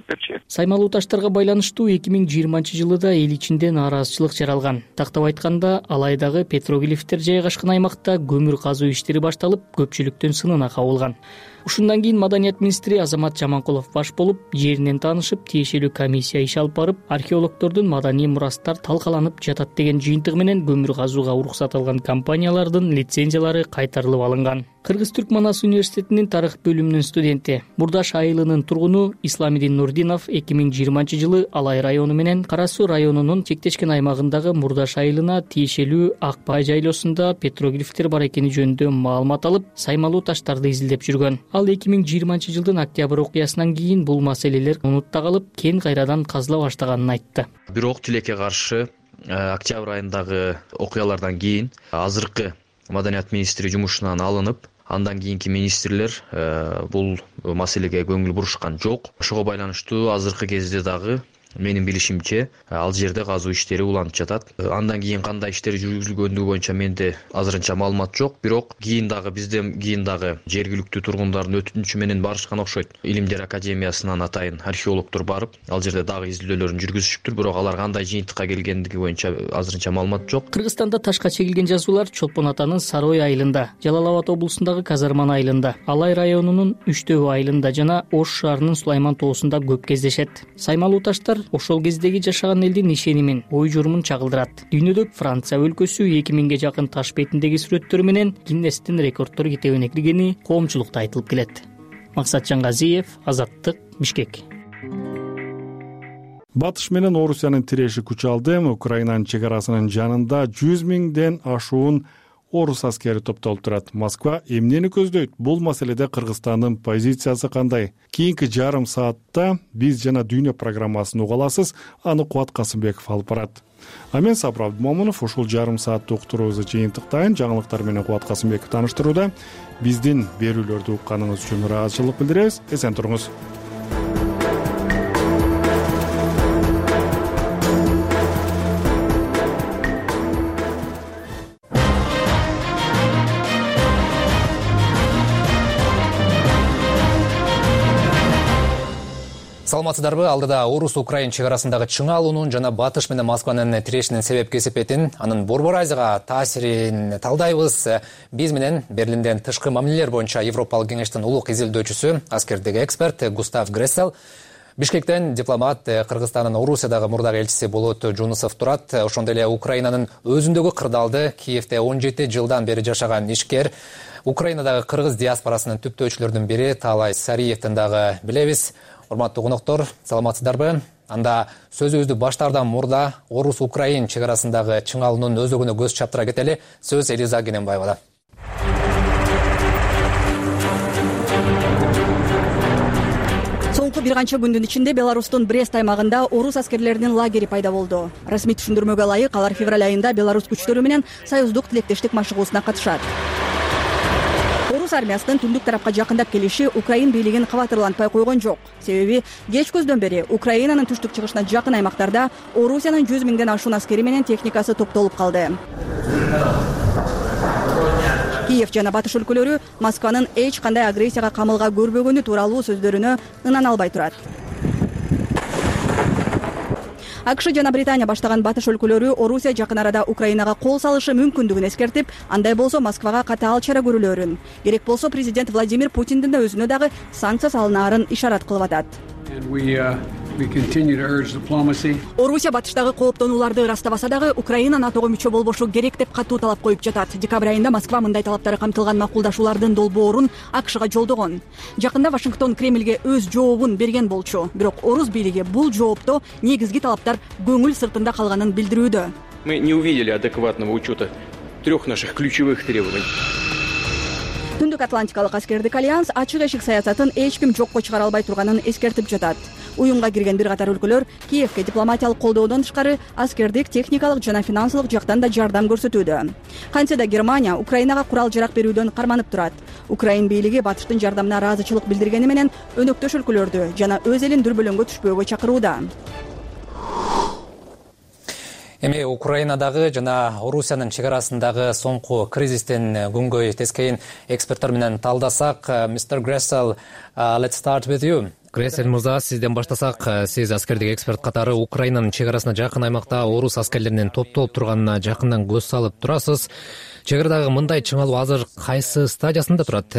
Саймалуу таштарга байланыштуу эки миң жыйырманчы жылы да эл ичинде нааразычылык жаралган. Тактап айтканда, Алайдагы петроглифтер жайгашкан аймакта көмүр казуу иштери башталып, көпчүлүктүн сынына кабылган. Ушундан кийин Маданият министри Азамат Жаманкулов баш болуп, жеринен таанышып, тиешелүү комиссия иш алып барып, археологдордун маданий мурастар талкаланып жатат деген жыйынтыгы менен көмүр казууга уруксат алган компаниялардын лицензиялары кайтарылып алынган. Кыргыз-Түрк Манас университетинин тарых бөлүмүнүн студенти, Бурдаш айылынын тургуну Исламидин Нурдинов эки миң жыйырманчы жылы Алай району менен Кара Суу районунун чектешкен аймагындагы Мурдаш айылына тиешелүү Ак Бай жайлоосунда петроглифтер бар экени жөнүндө маалымат алып, саймалуу таштарды изилдеп жүргөн. Ал эки миң жыйырманчы жылдын октябрь окуясынан кийин бул маселелер унутта калып, кен кайрадан казыла баштаганын айтты. Бирок тилекке каршы октябрь айындагы окуялардан кийин азыркы Маданият министри жумушунан алынып, андан кийинки министрлер бул маселеге көңүл бурушкан жок. Ошого байланыштуу азыркы кезде дагы менин билишимче ал жерде казуу иштери уланып жатат. Андан кийин кандай иштер жүргүзүлгөндүгү боюнча менде азырынча маалымат жок. Бирок кийин дагы бизден кийин дагы жергиликтүү тургундардын өтүнүчү менен барышкан окшойт. Илимдер академиясынан атайын археологдор барып, ал жерде дагы изилдөөлөрүн жүргүзүшүптүр. Бирок алар кандай жыйынтыкка келгендиги боюнча азырынча маалымат жок. Кыргызстанда ташка чегилген жазуулар Чолпон Атанын Сарой айылында, Жалал Абад облусундагы Казарман айылында, Алай районунун Үчтөбү айылында жана Ош шаарынын Сулайман тоосунда көп кездешет. Саймалуу таштар ошол кездеги жашаган элдин ишенимин, ой журумун чагылдырат. Дүйнөдө Франция өлкөсү эки миңге жакын таш бетиндеги сүрөттөрү менен Гиннестин рекорддор китебине киргени коомчулукта айтылып келет. Максат Жангазиев, Азаттык, Бишкек. Батыш менен Орусиянын тиреши күч алды. Украинанын чек арасынын жанында жүз миңден ашуун орус аскери топтолуп турат. Москва эмнени көздөйт? Бул маселеде Кыргызстандын позициясы кандай? Кийинки жарым саатта биз жана дүйнө программасын уга аласыз. Аны Кубат Касымбеков алып барат. А мен Сапар Абдымомунов ушул жарым сааттык уктуруубузду жыйынтыктайын. Жаңылыктар менен Кубат Касымбеков тааныштырууда. Биздин берүүлөрдү укканыңыз үчүн ыраазычылык билдиребиз. Эсен туруңуз. Саламатсыздарбы? Алдыда Орус-Украин чек арасындагы чыңалуунун жана Батыш менен Москванын тирешинин себеп кесепетин, анын Борбор Азияга таасирин талдайбыз. Биз менен Берлинден тышкы мамилелер боюнча Европалык кеңештин улук изилдөөчүсү, аскердеги эксперт Густав Грессел, Бишкектен дипломат, Кыргызстандын Орусиядагы мурдагы элчиси Болот Жунусов турат. Ошондой эле Украинанын өзүндөгү кырдаалды Киевде он жети жылдан бери жашаган ишкер, Украинадагы кыргыз диаспорасынын түптөөчүлөрүнүн бири Таалай Сариевдин дагы билебиз. Урматтуу коноктор, саламатсыздарбы? Анда сөзүбүздү баштаардан мурда Орус-Украин чек арасындагы чыңалуунун өзөгүнө көз чаптыра кетели. Сөз Элиза Кененбаевада. Соңку бир канча күндүн ичинде Беларустун Брест аймагында орус аскерлеринин лагери пайда болду. Расмий түшүндүрмөгө ылайык, алар февраль айында Беларус күчтөрү менен союздук тилектештик машыгуусуна катышат. Орус армиясынын түндүк тарапка жакындап келиши Украин бийлигин кабатырлантпай койгон жок. Себеби кеч көздөн бери Украинанын түштүк чыгышына жакын аймактарда Орусиянын жүз миңден ашуун аскери менен техникасы топтолуп калды. Киев жана Батыш өлкөлөрү Москванын эч кандай агрессияга камылга көрбөгөнү тууралуу сөздөрүнө ынан албай турат. АКШ жана Британия баштаган Батыш өлкөлөрү Орусия жакын арада Украинага кол салышы мүмкүндүгүн эскертип, андай болсо Москвага катаал чара көрүлөрүн, керек болсо президент Владимир Путиндин да өзүнө дагы санкция салынаарын ишарат кылып атат. Орусия Батыштагы кооптонууларды ырастабаса дагы Украина НАТОго мүчө болбошу керек деп катуу талап коюп жатат. Декабрь айында Москва мындай талаптары камтылган макулдашуулардын долбоорун АКШга жолдогон. Жакында Вашингтон Кремльге өз жообун берген болчу, бирок орус бийлиги бул жоопто негизги талаптар көңүл сыртында калганын билдирүүдө. Мы не увидели адекватного учета трех наших ключевых требований. Түндүк Атлантикалык аскердик альянс ачык эшик саясатын эч ким жокко чыгара албай турганын эскертип жатат. Уюмга кирген бир катар өлкөлөр Киевке дипломатиялык колдоодон тышкары аскердик, техникалык жана финансылык жактан да жардам көрсөтүүдө. Кантсе да Германия Украинага курал-жарак берүүдөн карманып турат. Украин бийлиги Батыштын жардамына ыраазычылык билдиргени менен өнөктөш өлкөлөрдү жана өз элин дүрбөлөңгө түшпөөгө чакырууда. Эми Украинадагы жана Орусиянын чек арасындагы соңку кризистен күнгөй тескейин эксперттер менен талдасак, мистер Gressel, let's start with you. Грессел мырза, сизден баштасак, сиз аскердик эксперт катары Украинанын чек арасына жакын аймакта орус аскерлеринин топтолуп турганына жакындан көз салып турасыз. Чек арадагы мындай чыңалуу азыр кайсы стадиясында турат?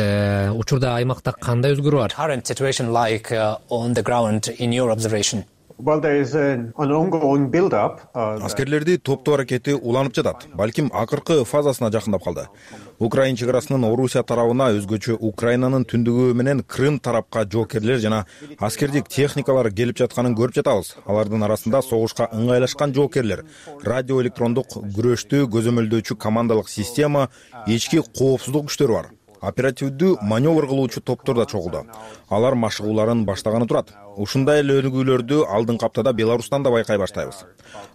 Учурда аймакта кандай өзгөрүү бар? Current situation like on the ground in your observation? Well, there is an ongoing build up. Аскерлерди топтоо аракети уланып жатат. Балким акыркы фазасына жакындап калды. Украин чек арасынын Орусия тарабына өзгөчө Украинанын түндүгү менен Крым тарапка жоокерлер жана аскердик техникалар келип жатканын көрүп жатабыз. Алардын арасында согушка ыңгайлашкан жоокерлер, радиоэлектрондук күрөштү көзөмөлдөөчү командалык система, ички коопсуздук күчтөрү бар. Оперативдүү маневр кылуучу топтор да чогулду. Алар машыгууларын баштаганы турат. Ушундай эле өнүгүүлөрдү алдыңкы аптада Беларустан да байкай баштайбыз.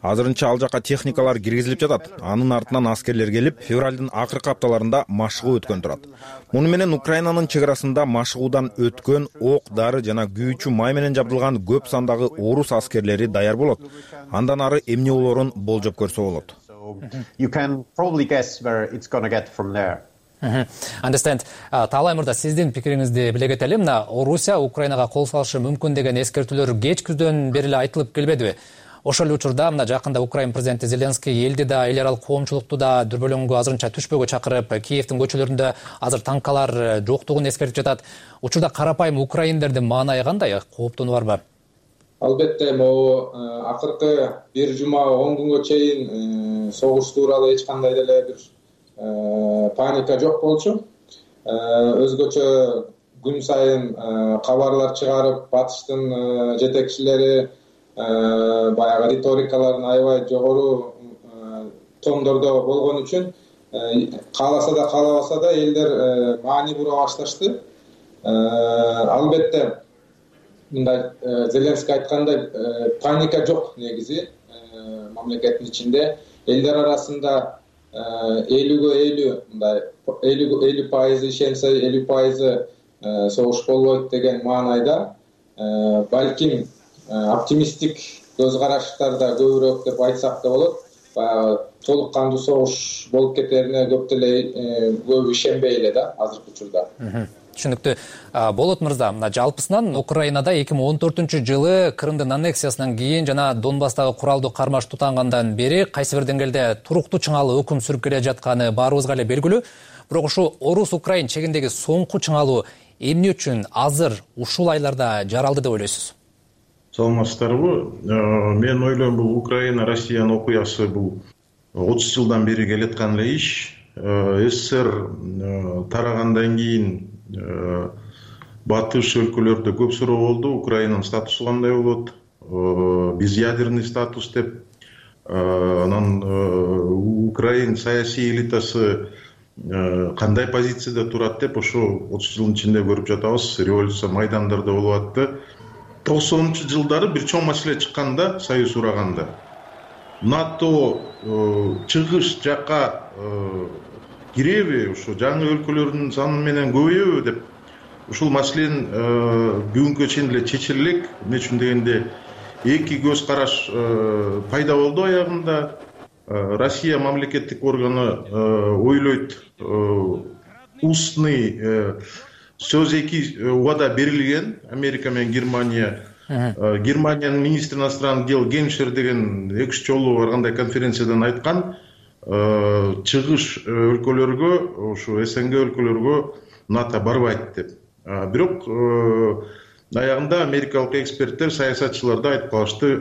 Азырынча ал жака техникалар киргизилип жатат. Анын артынан аскерлер келип, февралдын акыркы апталарында машыгуу өткөн турат. Муну менен Украинанын чек арасында машыгуудан өткөн ок, дары жана күйүүчү май менен жабдылган көп сандагы орус аскерлери даяр болот. Андан ары эмне болоорун болжоп көрсө болот. You can probably guess where it's going to get from there. Understand. Таалай мырза, сиздин пикириңизди биле кетели. Мына Орусия Украинага кол салышы мүмкүн деген эскертүүлөр кеч күздөн бери эле айтылып келбедиби? Ошол учурда мына жакында Украин президенти Зеленский элди да, эл аралык коомчулукту да дүрбөлөңгө азырынча түшпөөгө чакырып, Киевдин көчөлөрүндө азыр танкалар жоктугун эскертип жатат. Учурда карапайым украиндердин маанайы кандай? Кооптонуу барбы? албетте могу акыркы бир жума он күнгө чейин согуш тууралуу эч кандай деле бир паника жок болчу. Өзгөчө күн сайын кабарлар чыгарып, батыштын жетекчилери баягы риторикаларын аябай жогору тондордо болгон үчүн кааласа да каалабаса да элдер маани бура башташты. Албетте мындай Зеленский айткандай паника жок негизи мамлекеттин ичинде. Элдер арасында элүүгө элүү мындай элүү пайызы ишенсе элүү пайызы согуш болбойт деген маанайда балким оптимисттик көз караштарда көбүрөөк деп айтсак да болот. Баягы толук кандуу согуш болуп кетерине көп деле көп ишенбей эле да азыркы учурда. Түшүнүктүү. Болот мырза, мына жалпысынан Украинада эки миң он төртүнчү жылы Крымдын аннексиясынан кийин жана Донбасстагы куралдуу кармаш тутангандан бери кайсы бир деңгээлде туруктуу чыңалуу өкүм сүрүп келе жатканы баарыбызга эле белгилүү. Бирок ушу Орус-Украин чегиндеги соңку чыңалуу эмне үчүн азыр ушул айларда жаралды деп ойлойсуз? Саламатсыздарбы? Мен ойлойм, бул Украина Россиянын окуясы бул отуз жылдан бери келаткан эле иш. СССР тарагандан кийин батыш өлкөлөрдө көп суроо болду. Украинанын статусу кандай болот? Биз ядерный статус деп. Анан Украин саясий элитасы кандай позицияда турат деп ошо отуз жылдын ичинде көрүп жатабыз. Революция майдандарда болуп атты. токсонунчу жылдары бир чоң маселе чыкканда, союз ураганда НАТО чыгыш жакка киреби, ошо жаңы өлкөлөрдүн саны менен көбөйөбү деп ушул маселенин бүгүнкү чейин эле чечире элек. Эмне үчүн дегенде эки көз караш пайда болду аягында. Россия мамлекеттик органы ойлойт, устный сөз эки убада берилген. Америка менен Германия. Германиянын министри иностранных дел Геншер деген эки үч жолу баргандай конференциядан айткан, чыгыш өлкөлөргө, ошо СНГ өлкөлөргө НАТО барбайт деп. Бирок аягында америкалык эксперттер, саясатчылар да айтып калышты,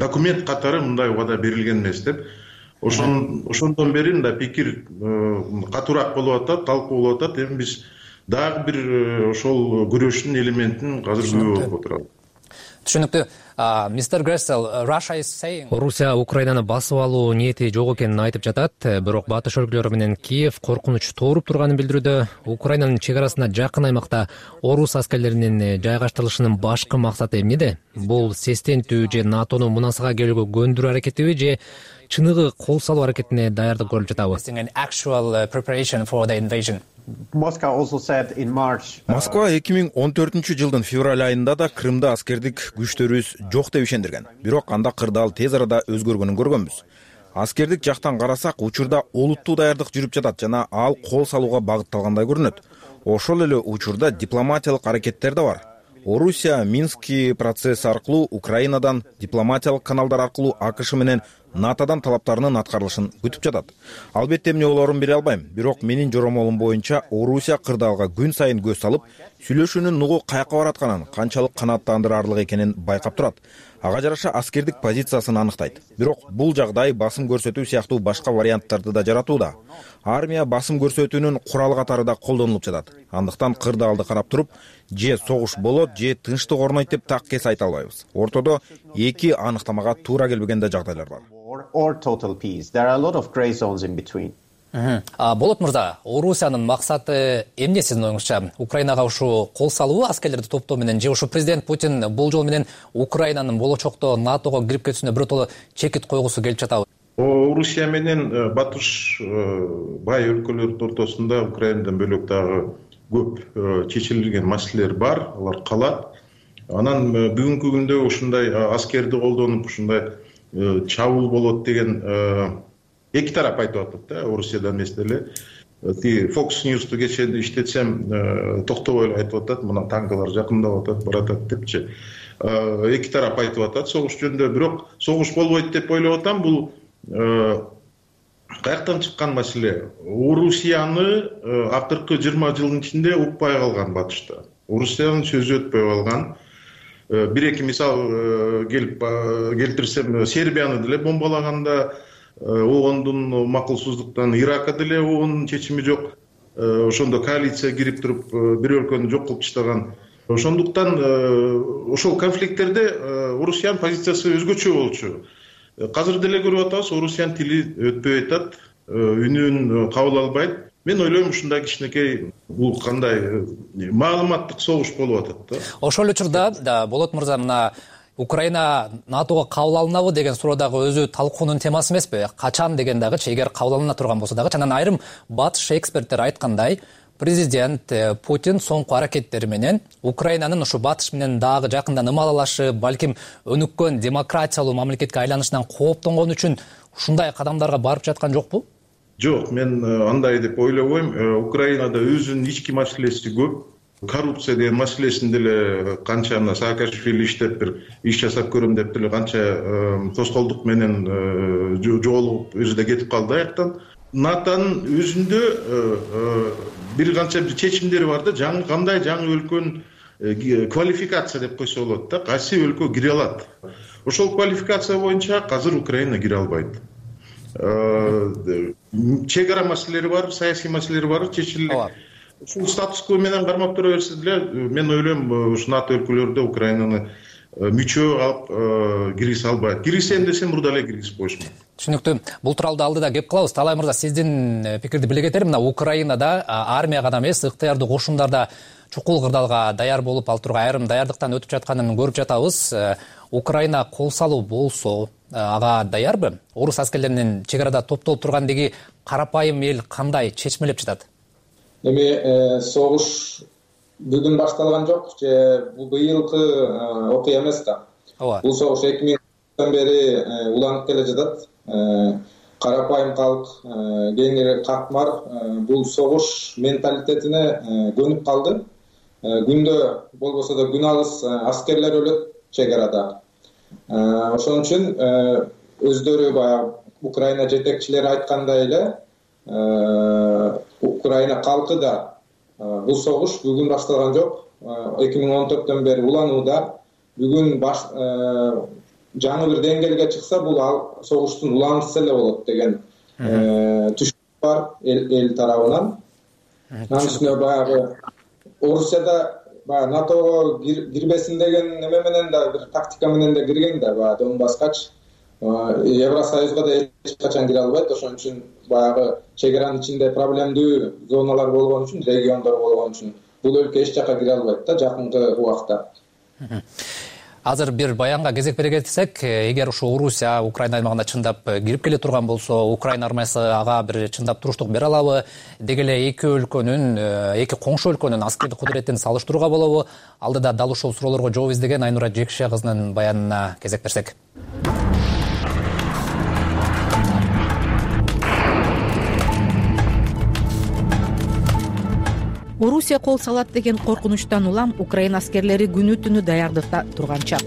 документ катары мындай убада берилген эмес деп. Ошондон бери мындай пикир катуураак болуп атат, талкуу болуп атат. Эми биз дагы бир ошол күрөштүн элементин азыр көрүп отурабыз. Түшүнүктүү. Мистер Грессел, Орусия Украинаны басып алуу ниети жок экенин айтып жатат, бирок батыш өлкөлөрү менен Киев коркунуч тооруп турганын билдирүүдө. Украинанын чек арасына жакын аймакта орус аскерлеринин жайгаштырылышынын башкы максаты эмнеде? Бул сестентүү же НАТОну мунасага келүүгө көндүрүү аракетиби же чыныгы кол салуу аракетине даярдык көрүлүп жатабы? Москва эки миң он төртүнчү жылдын февраль айында да Крымда аскердик күчтөрүбүз жок деп ишендирген. Бирок анда кырдаал тез арада өзгөргөнүн көргөнбүз. Аскердик жактан карасак, учурда олуттуу даярдык жүрүп жатат жана ал кол салууга багытталгандай көрүнөт. Ошол эле учурда дипломатиялык аракеттер да бар. Орусия Минский процесс аркылуу Украинадан, дипломатиялык каналдар аркылуу АКШ менен НАТОдан талаптарынын аткарылышын күтүп жатат. Албетте эмне болоорун бере албайм, бирок менин жоромолум боюнча Орусия кырдаалга күн сайын көз салып, сүйлөшүүнүн нугу каяка баратканын, канчалык канааттандырарлык экенин байкап турат. Ага жараша аскердик позициясын аныктайт. Бирок бул жагдай басым көрсөтүү сыяктуу башка варианттарды да жаратууда. Армия басым көрсөтүүнүн куралы катары да колдонулуп жатат. Андыктан кырдаалды карап туруп, же согуш болот, же тынчтык орнойт деп так кес айта албайбыз. Ортодо эки аныктамага туура келбеген да жагдайлар бар. Болот мырза, Орусиянын максаты эмне сиздин оюңузча? Украинага ушу кол салуу, аскерлерди топтоо менен, же ушу президент Путин бул жол менен Украинанын болочокто НАТОго кирип кетүүсүнө биротоло чекит койгусу келип жатабы? Орусия менен батыш бай өлкөлөрдүн ортосунда Украинадан бөлөк дагы көп чечилген маселелер бар, алар калат. Анан бүгүнкү күндө ушундай аскерди колдонуп, ушундай чабуул болот деген эки тарап айтып атат да, Орусиядан эмес деле. Ти Fox News'ту кечээ иштетсем, токтобой айтып атат, мына танкалар жакындап атат, баратат депчи. Эки тарап айтып атат согуш жөнүндө, бирок согуш болбойт деп ойлоп атам. Бул каяктан чыккан маселе? Орусияны акыркы жыйырма жылдын ичинде укпай калган батышта. Орусиянын сөзү өтпөй калган. бир эки мисал келип келтирсем, Сербияны деле бомбалаганда оондун макулсуздуктан, Иракка деле оондун чечими жок. Ошондо коалиция кирип туруп бир өлкөнү жок кылып таштаган. Ошондуктан ошол конфликттерде Орусиянын позициясы өзгөчө болчу. Азыр деле көрүп атабыз, Орусиянын тили өтпөй атат, үнүн кабыл албайт. Мен ойлойм, ушундай кичинекей бул кандай маалыматтык согуш болуп атат да. Ошол учурда Болот мырза, мына Украина НАТОго кабыл алынабы деген суроо дагы өзү талкуунун темасы эмеспи? Качан деген дагычы, эгер кабыл алына турган болсо дагы. Анан айрым батыш эксперттер айткандай, президент Путин соңку аракеттери менен Украинанын ушу батыш менен дагы жакында ымалалашы, балким өнүккөн демократиялуу мамлекетке айланышынан кооптонгон үчүн ушундай кадамдарга барып жаткан жокпу? Жок, мен андай деп ойлобойм. Украинада өзүнүн ички маселеси көп. Коррупция деген маселесин деле канча мына Саакашвили иштеп бир иш жасап көрөм деп деле канча тоскоолдук менен жоолугуп өзү кетип калды аяктан. НАТОнун өзүндө бир канча чечимдери бар да, жаңы кандай жаңы өлкөнү квалификация деп койсо болот да, кайсы өлкө кире алат. Ошол квалификация боюнча азыр Украина кире албайт. Чек ара маселелери бар, саясий маселелери бар, чечилет. Ушул статус-кво менен кармап тура берсе деле, мен ойлойм, ушу НАТО өлкөлөрдө Украинаны мүчө алып киргизе албайт. Киргизем десем, мурда эле киргизип коюшмак. Түшүнүктүү. Бул тууралуу алдыда кеп калабыз. Талай мырза, сиздин пикирди биле кетерим. Мына Украинада армия гана эмес, ыктыярдуу кошундарда чукул кырдаалга даяр болуп, ал тургай айрым даярдыктан өтүп жатканын көрүп жатабыз. Украина кол салуу болсо, ага даярбы? Орус аскерлеринин чек арада топтолуп тургандыгы карапайым эл кандай чечмелеп жатат? Эми согуш бүгүн башталган жок, же бул быйылкы окуя эмес да. Бул согуш эки миңден бери уланып келе жатат. Карапайым калк, кеңири катмар бул согуш менталитетине көнүп калды. Күндө болбосо да күн алыс аскерлер өлөт чек арада. Ошон үчүн өздөрү баягы Украина жетекчилери айткандай эле, Украина калкы да бул согуш бүгүн башталган жок. эки миң он төрттөн бери уланууда. Бүгүн баш жаңы бир деңгээлге чыкса, бул ал согуштун уланысы эле болот деген түшүнүк бар эл тарабынан. Анын үстүнө баягы Орусияда баягы НАТОго кирбесин деген неме менен да, бир тактика менен да кирген да, баягы Донбасскачы. Евросоюзга да эч качан кире албайт. Ошон үчүн баягы чек аранын ичинде проблемдүү зоналар болгон үчүн, региондор болгон үчүн бул өлкө эч жака кире албайт да жакынкы убакта. Азыр бир баянга кезек бере кетсек, эгер ушу Орусия Украина аймагына чындап кирип келе турган болсо, Украина армиясы ага бир чындап туруштук бере алабы? Деги эле эки өлкөнүн, эки коңшу өлкөнүн аскердик кудуретин салыштырууга болобу? Алдыда дал ушул суроолорго жооп издеген Айнура Жекше кызынын баянына кезек берсек. Орусия кол салат деген коркунучтан улам Украина аскерлери күнү түнү даярдыкта турганча.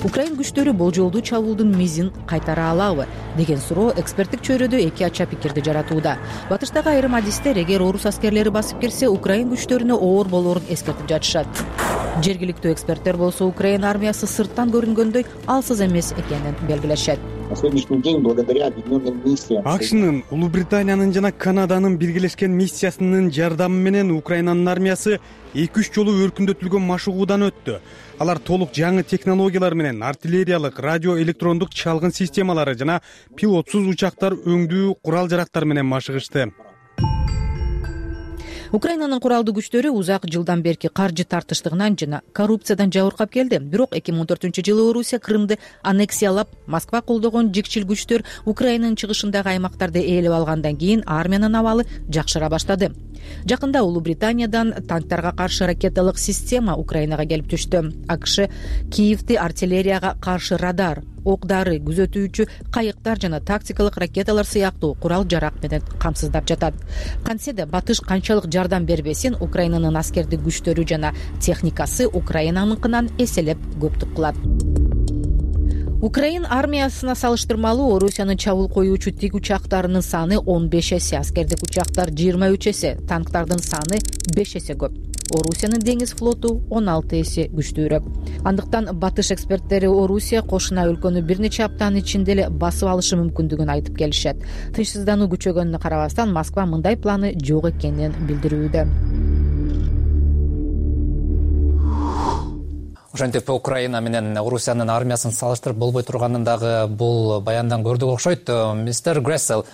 Украин күчтөрү болжолдуу чабуулдун мизин кайтара алабы деген суроо эксперттик чөйрөдө эки ача пикирди жаратууда. Батыштагы айрым адистер эгер орус аскерлери басып кирсе, Украин күчтөрүнө оор болоорун эскертип жатышат. Жергиликтүү эксперттер болсо Украина армиясы сырттан көрүнгөндөй алсыз эмес экенин белгилешет. На сегодняшний день, благодаря объединенным миссиям, акшнын, Улуу Британиянын жана Канаданын биргелешкен миссиясынын жардамы менен Украинанын армиясы эки үч жолу өркүндөтүлгөн машыгуудан өттү. Алар толук жаңы технологиялар менен артиллериялык, радио электрондук чалгын системалары жана пилотсуз учактар өңдүү курал-жарактар менен машыгышты. Украинанын куралдуу күчтөрү узак жылдан берки каржы тартыштыгынан жана коррупциядан жабыркап келди. Бирок эки миң он төртүнчү жылы Орусия Крымды аннексиялап, Москва колдогон жикчил күчтөр Украинанын чыгышындагы аймактарды ээлеп алгандан кийин армиянын абалы жакшыра баштады. Жакында Улуу Британиядан танктарга каршы ракеталык система Украинага келип түштү. АКШ Киевди артиллерияга каршы радар, ок-дары, күзөтүүчү кайыктар жана тактикалык ракеталар сыяктуу курал-жарак менен камсыздап жатат. Кантсе да батыш канчалык жардам бербесин, Украинанын аскердик күчтөрү жана техникасы Украинаныкынан эселеп көптүк кылат. Украин армиясына салыштырмалуу Орусиянын чабуул коюучу тик учактарынын саны он беш эсе, аскердик учактар жыйырма үч эсе, танктардын саны беш эсе көп. Орусиянын деңиз флоту он алты эсе күчтүүрөөк. Андыктан батыш эксперттери Орусия кошуна өлкөнү бир нече аптанын ичинде эле басып алышы мүмкүндүгүн айтып келишет. Тынчсыздануу күчөгөнүнө карабастан Москва мындай планы жок экенин билдирүүдө. Ошентип Украина менен Орусиянын армиясын салыштырып болбой турганын дагы бул баяндан көрдүк окшойт. Мистер Грессел,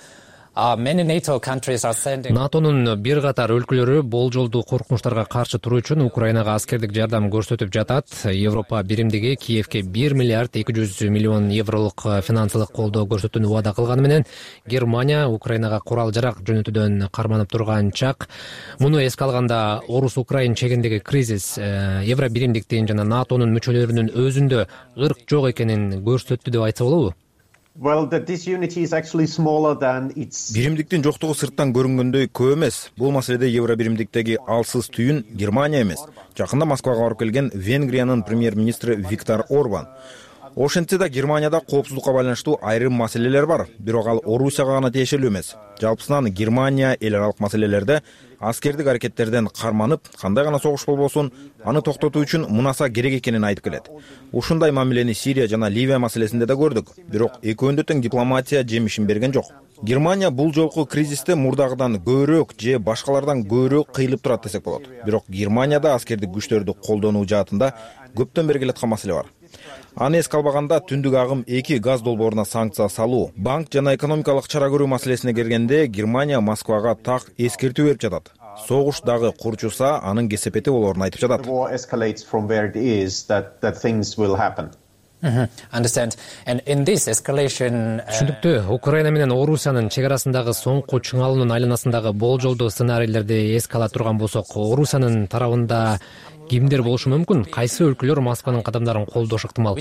натонун бир катар өлкөлөрү болжолдуу коркунучтарга каршы туруу үчүн Украинага аскердик жардам көрсөтүп жатат. Европа биримдиги Киевке бир миллиард эки жүз миллион евролук финансылык колдоо көрсөтүүнү убада кылганы менен Германия Украинага курал-жарак жөнөтүүдөн карманып турган чак. Муну эске алганда Орус-Украин чегиндеги кризис Евро биримдиктин жана натонун мүчөлөрүнүн өзүндө ырк жок экенин көрсөттү деп айтса болобу? Биримдиктин жоктугу сырттан көрүнгөндөй көп эмес. Бул маселеде Евро биримдиктеги алсыз түйүн Германия эмес. Жакында Москвага барып келген Венгриянын премьер-министри Виктор Орбан. Ошентсе да Германияда коопсуздукка байланыштуу айрым маселелер бар, бирок ал Орусияга гана тиешелүү эмес. Жалпысынан Германия эл аралык маселелерде аскердик аракеттерден карманып, кандай гана согуш болбосун, аны токтотуу үчүн мунаса керек экенин айтып келет. Ушундай мамилени Сирия жана Ливия маселесинде да көрдүк, бирок экөөндө тең дипломатия жемишин берген жок. Германия бул жолку кризисте мурдагыдан көбүрөөк же башкалардан көбүрөөк кыйылып турат десек болот. Бирок Германияда аскердик күчтөрдү колдонуу жаатында көптөн бери келаткан маселе бар. Аны эске албаганда түндүк агым эки газ долбооруна санкция салуу, банк жана экономикалык чара көрүү маселесине келгенде Германия Москвага так эскертүү берип жатат. Согуш дагы курчуса, анын кесепети болоорун айтып жатат. Түшүнүктүү. Украина менен Орусиянын чек арасындагы соңку чыңалуунун айланасындагы болжолдуу сценарийлерди эске ала турган болсок, Орусиянын тарабында кимдер болушу мүмкүн? Кайсы өлкөлөр Москванын кадамдарын колдошу ыктымал?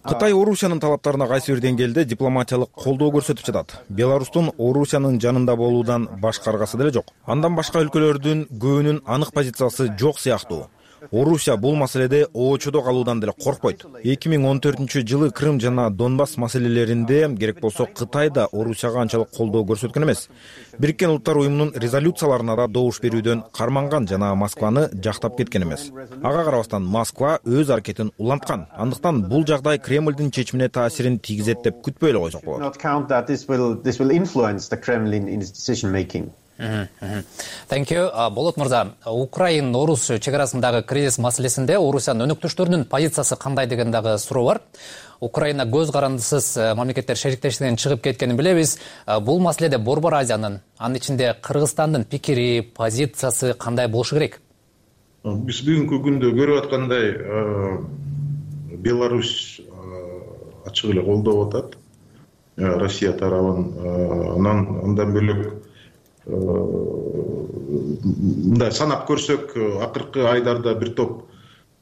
Кытай Орусиянын талаптарына кайсы бир деңгээлде дипломатиялык колдоо көрсөтүп жатат. Беларустун Орусиянын жанында болуудан башкаргасы деле жок. Андан башка өлкөлөрдүн көбүнүн анык позициясы жок сыяктуу. Орусия бул маселеде оочодо калуудан деле коркпойт. эки миң он төртүнчү жылы Крым жана Донбасс маселелеринде керек болсо Кытай да Орусияга анчалык колдоо көрсөткөн эмес. Бириккен Улуттар уюмунун резолюцияларына да добуш берүүдөн карманган жана Москваны жактап кеткен эмес. Ага карабастан Москва өз аракетин уланткан. Андыктан бул жагдай Кремлдин чечимине таасирин тийгизет деп күтпөй эле койсок болот. Thank you. Болот мырза, Украин Орус чек арасындагы кризис маселесинде Орусиянын өнөктөштөрүнүн позициясы кандай деген дагы суроо бар. Украина көз карандысыз мамлекеттер шериктештигинен чыгып кеткенин билебиз. Бул маселеде Борбор Азиянын, анын ичинде Кыргызстандын пикири, позициясы кандай болушу керек? Биз бүгүнкү күндө көрүп аткандай Беларусь ачык эле колдоп атат Россия тарабын. Анан андан бөлөк мындай санап көрсөк, акыркы айдарда бир топ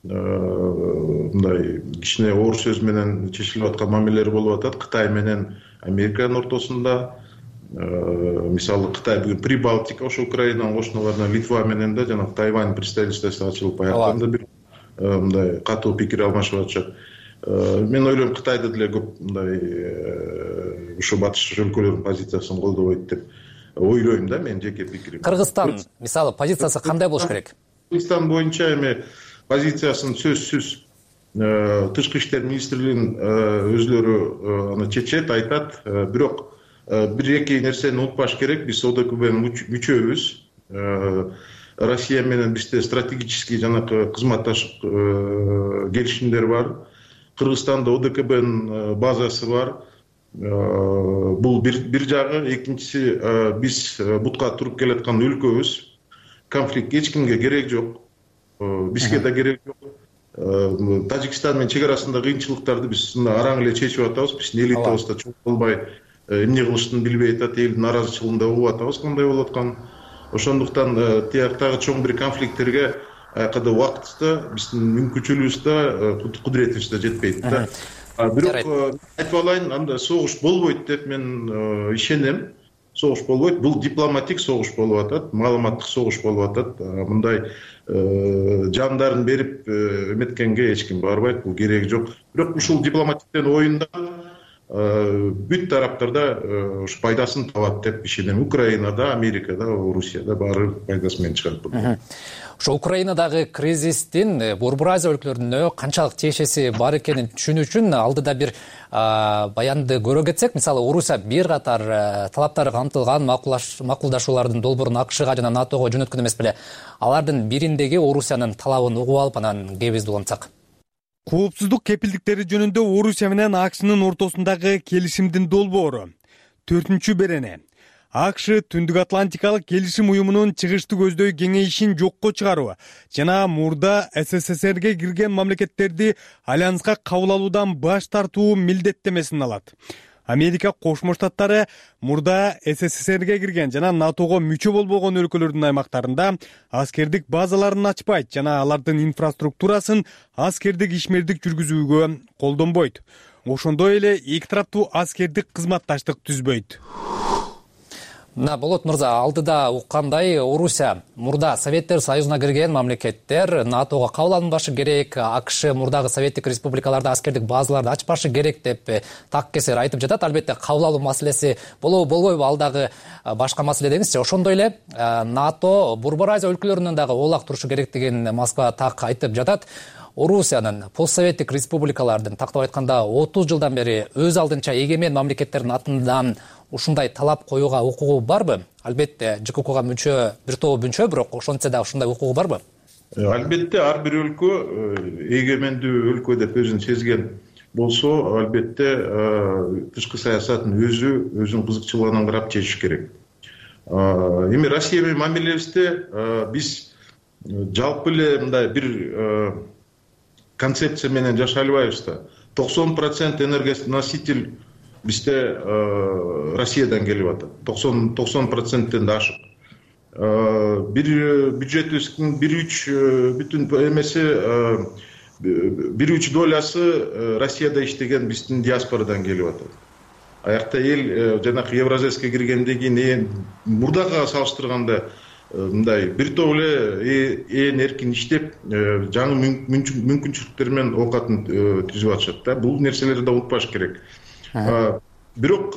мындай кичине оор сөз менен чечилип аткан мамилелер болуп атат Кытай менен Американын ортосунда. Мисалы Кытай бүгүн Прибалтика, ошо Украинанын кошуналарына Литва менен да жана Тайвань представительствосу ачылып баягы бир мындай катуу пикир алмашып атышат. Мен ойлойм Кытайда деле көп мындай ушу батыш өлкөлөрдүн позициясын колдобойт деп ойлойм да, мен жеке пикирим. Кыргызстан мисалы позициясы кандай болуш керек? Кыргызстан боюнча эми позициясын сөзсүз тышкы иштер министрлигинин өзүлөрү аны чечет, айтат. Бирок бир-эки нерсени унутпаш керек. Биз ОДКБнын мүчөбүз. Россия менен бизде стратегический жанакы кызматташык келишимдер бар. Кыргызстанда ОДКБнын базасы бар. Бул бир бир жагы, экинчиси биз бутка туруп келаткан өлкөбүз. Конфликт эч кимге керек жок. Бизге да керек жок. Тажикстан менен чек арасындагы кыйынчылыктарды биз араң эле чечип атабыз. Биздин элитабыз да чоң болбой эмне кылыштын билбей атат, элдин наразычылыгын да угуп атабыз кандай болуп атканын. Ошондуктан тияктагы чоң бир конфликттерге аякада убакытыбызда, биздин мүмкүнчүлүгүбүздө, кудуретибизде жетпейт да. Бирок айтып алайын, анда согуш болбойт деп мен ишенем. Согуш болбойт. Бул дипломатик согуш болуп атат, маалыматтык согуш болуп атат. Мындай жандарын берип эметкенге эч ким барбайт, бул кереги жок. Бирок ушул дипломатиктен оюнда бүт тараптар да ушу пайдасын табат деп ишенем. Украинада, Америкада, Орусияда баары пайдасы менен чыгат бул. Ошо Украинадагы кризистин Борбор Азия өлкөлөрүнө канчалык тиешеси бар экенин түшүнүү үчүн алдыда бир баянды көрө кетсек, мисалы Орусия бир катар талаптары камтылган макулдашуулардын долбоорун АКШга жана НАТОго жөнөткөн эмес беле. Алардын бириндеги Орусиянын талабын угуп алып, анан кебизди улантсак. Коопсуздук кепилдиктери жөнүндө Орусия менен АКШнын ортосундагы келишимдин долбоору. Төртүнчү берене. АКШ Түндүк Атлантикалык келишим уюмунун чыгышты көздөй кеңейишин жокко чыгаруу жана мурда СССРге кирген мамлекеттерди альянска кабыл алуудан баш тартуу милдеттемесин алат. Америка Кошмо Штаттары мурда СССРге кирген жана НАТОго мүчө болбогон өлкөлөрдүн аймактарында аскердик базаларын ачпайт жана алардын инфраструктурасын аскердик ишмердик жүргүзүүгө колдонбойт. Ошондой эле эки тараптуу аскердик кызматташтык түзбөйт. Мына Болот мырза, алдыда уккандай Орусия мурда Советтер Союзуна кирген мамлекеттер НАТОго кабыл алынбашы керек, АКШ мурдагы Советтик республикаларда аскердик базаларды ачпашы керек деп так кесер айтып жатат. Албетте кабыл алуу маселеси болобу болбойбу ал дагы башка маселе деңизчи. Ошондой эле НАТО Борбор Азия өлкөлөрүнөн дагы оолак турушу керек деген Москва так айтып жатат. Орусиянын постсоветтик республикалардын тактап айтканда отуз жылдан бери өз алдынча эгемен мамлекеттердин атынан ушундай талап коюуга укугу барбы? Албетте ЖККга мүчө бир топ мүчө, бирок ошентсе да ушундай укугу барбы? Албетте ар бир өлкө эгемендүү өлкө деп өзүн сезген болсо, албетте тышкы саясатын өзү өзүнүн кызыкчылыгынан карап чечиш керек. Эми Россия менен мамилебизде биз жалпы эле мындай бир концепция менен жашай албайбыз да. токсон процент энергоноситель бизде Россиядан келип атат. токсон проценттен да ашык. Бир бюджетибиздин бир үч бүтүн эмеси бир үч долясы Россияда иштеген биздин диаспорадан келип атат. Аякта эл жанакы Евразеске киргенден кийин мурдага салыштырганда мындай бир топ эле ээн эркин иштеп, жаңы мүмкүнчүлүктөр менен оокатын түзүп атышат да. Бул нерселерди да унутпаш керек. Бирок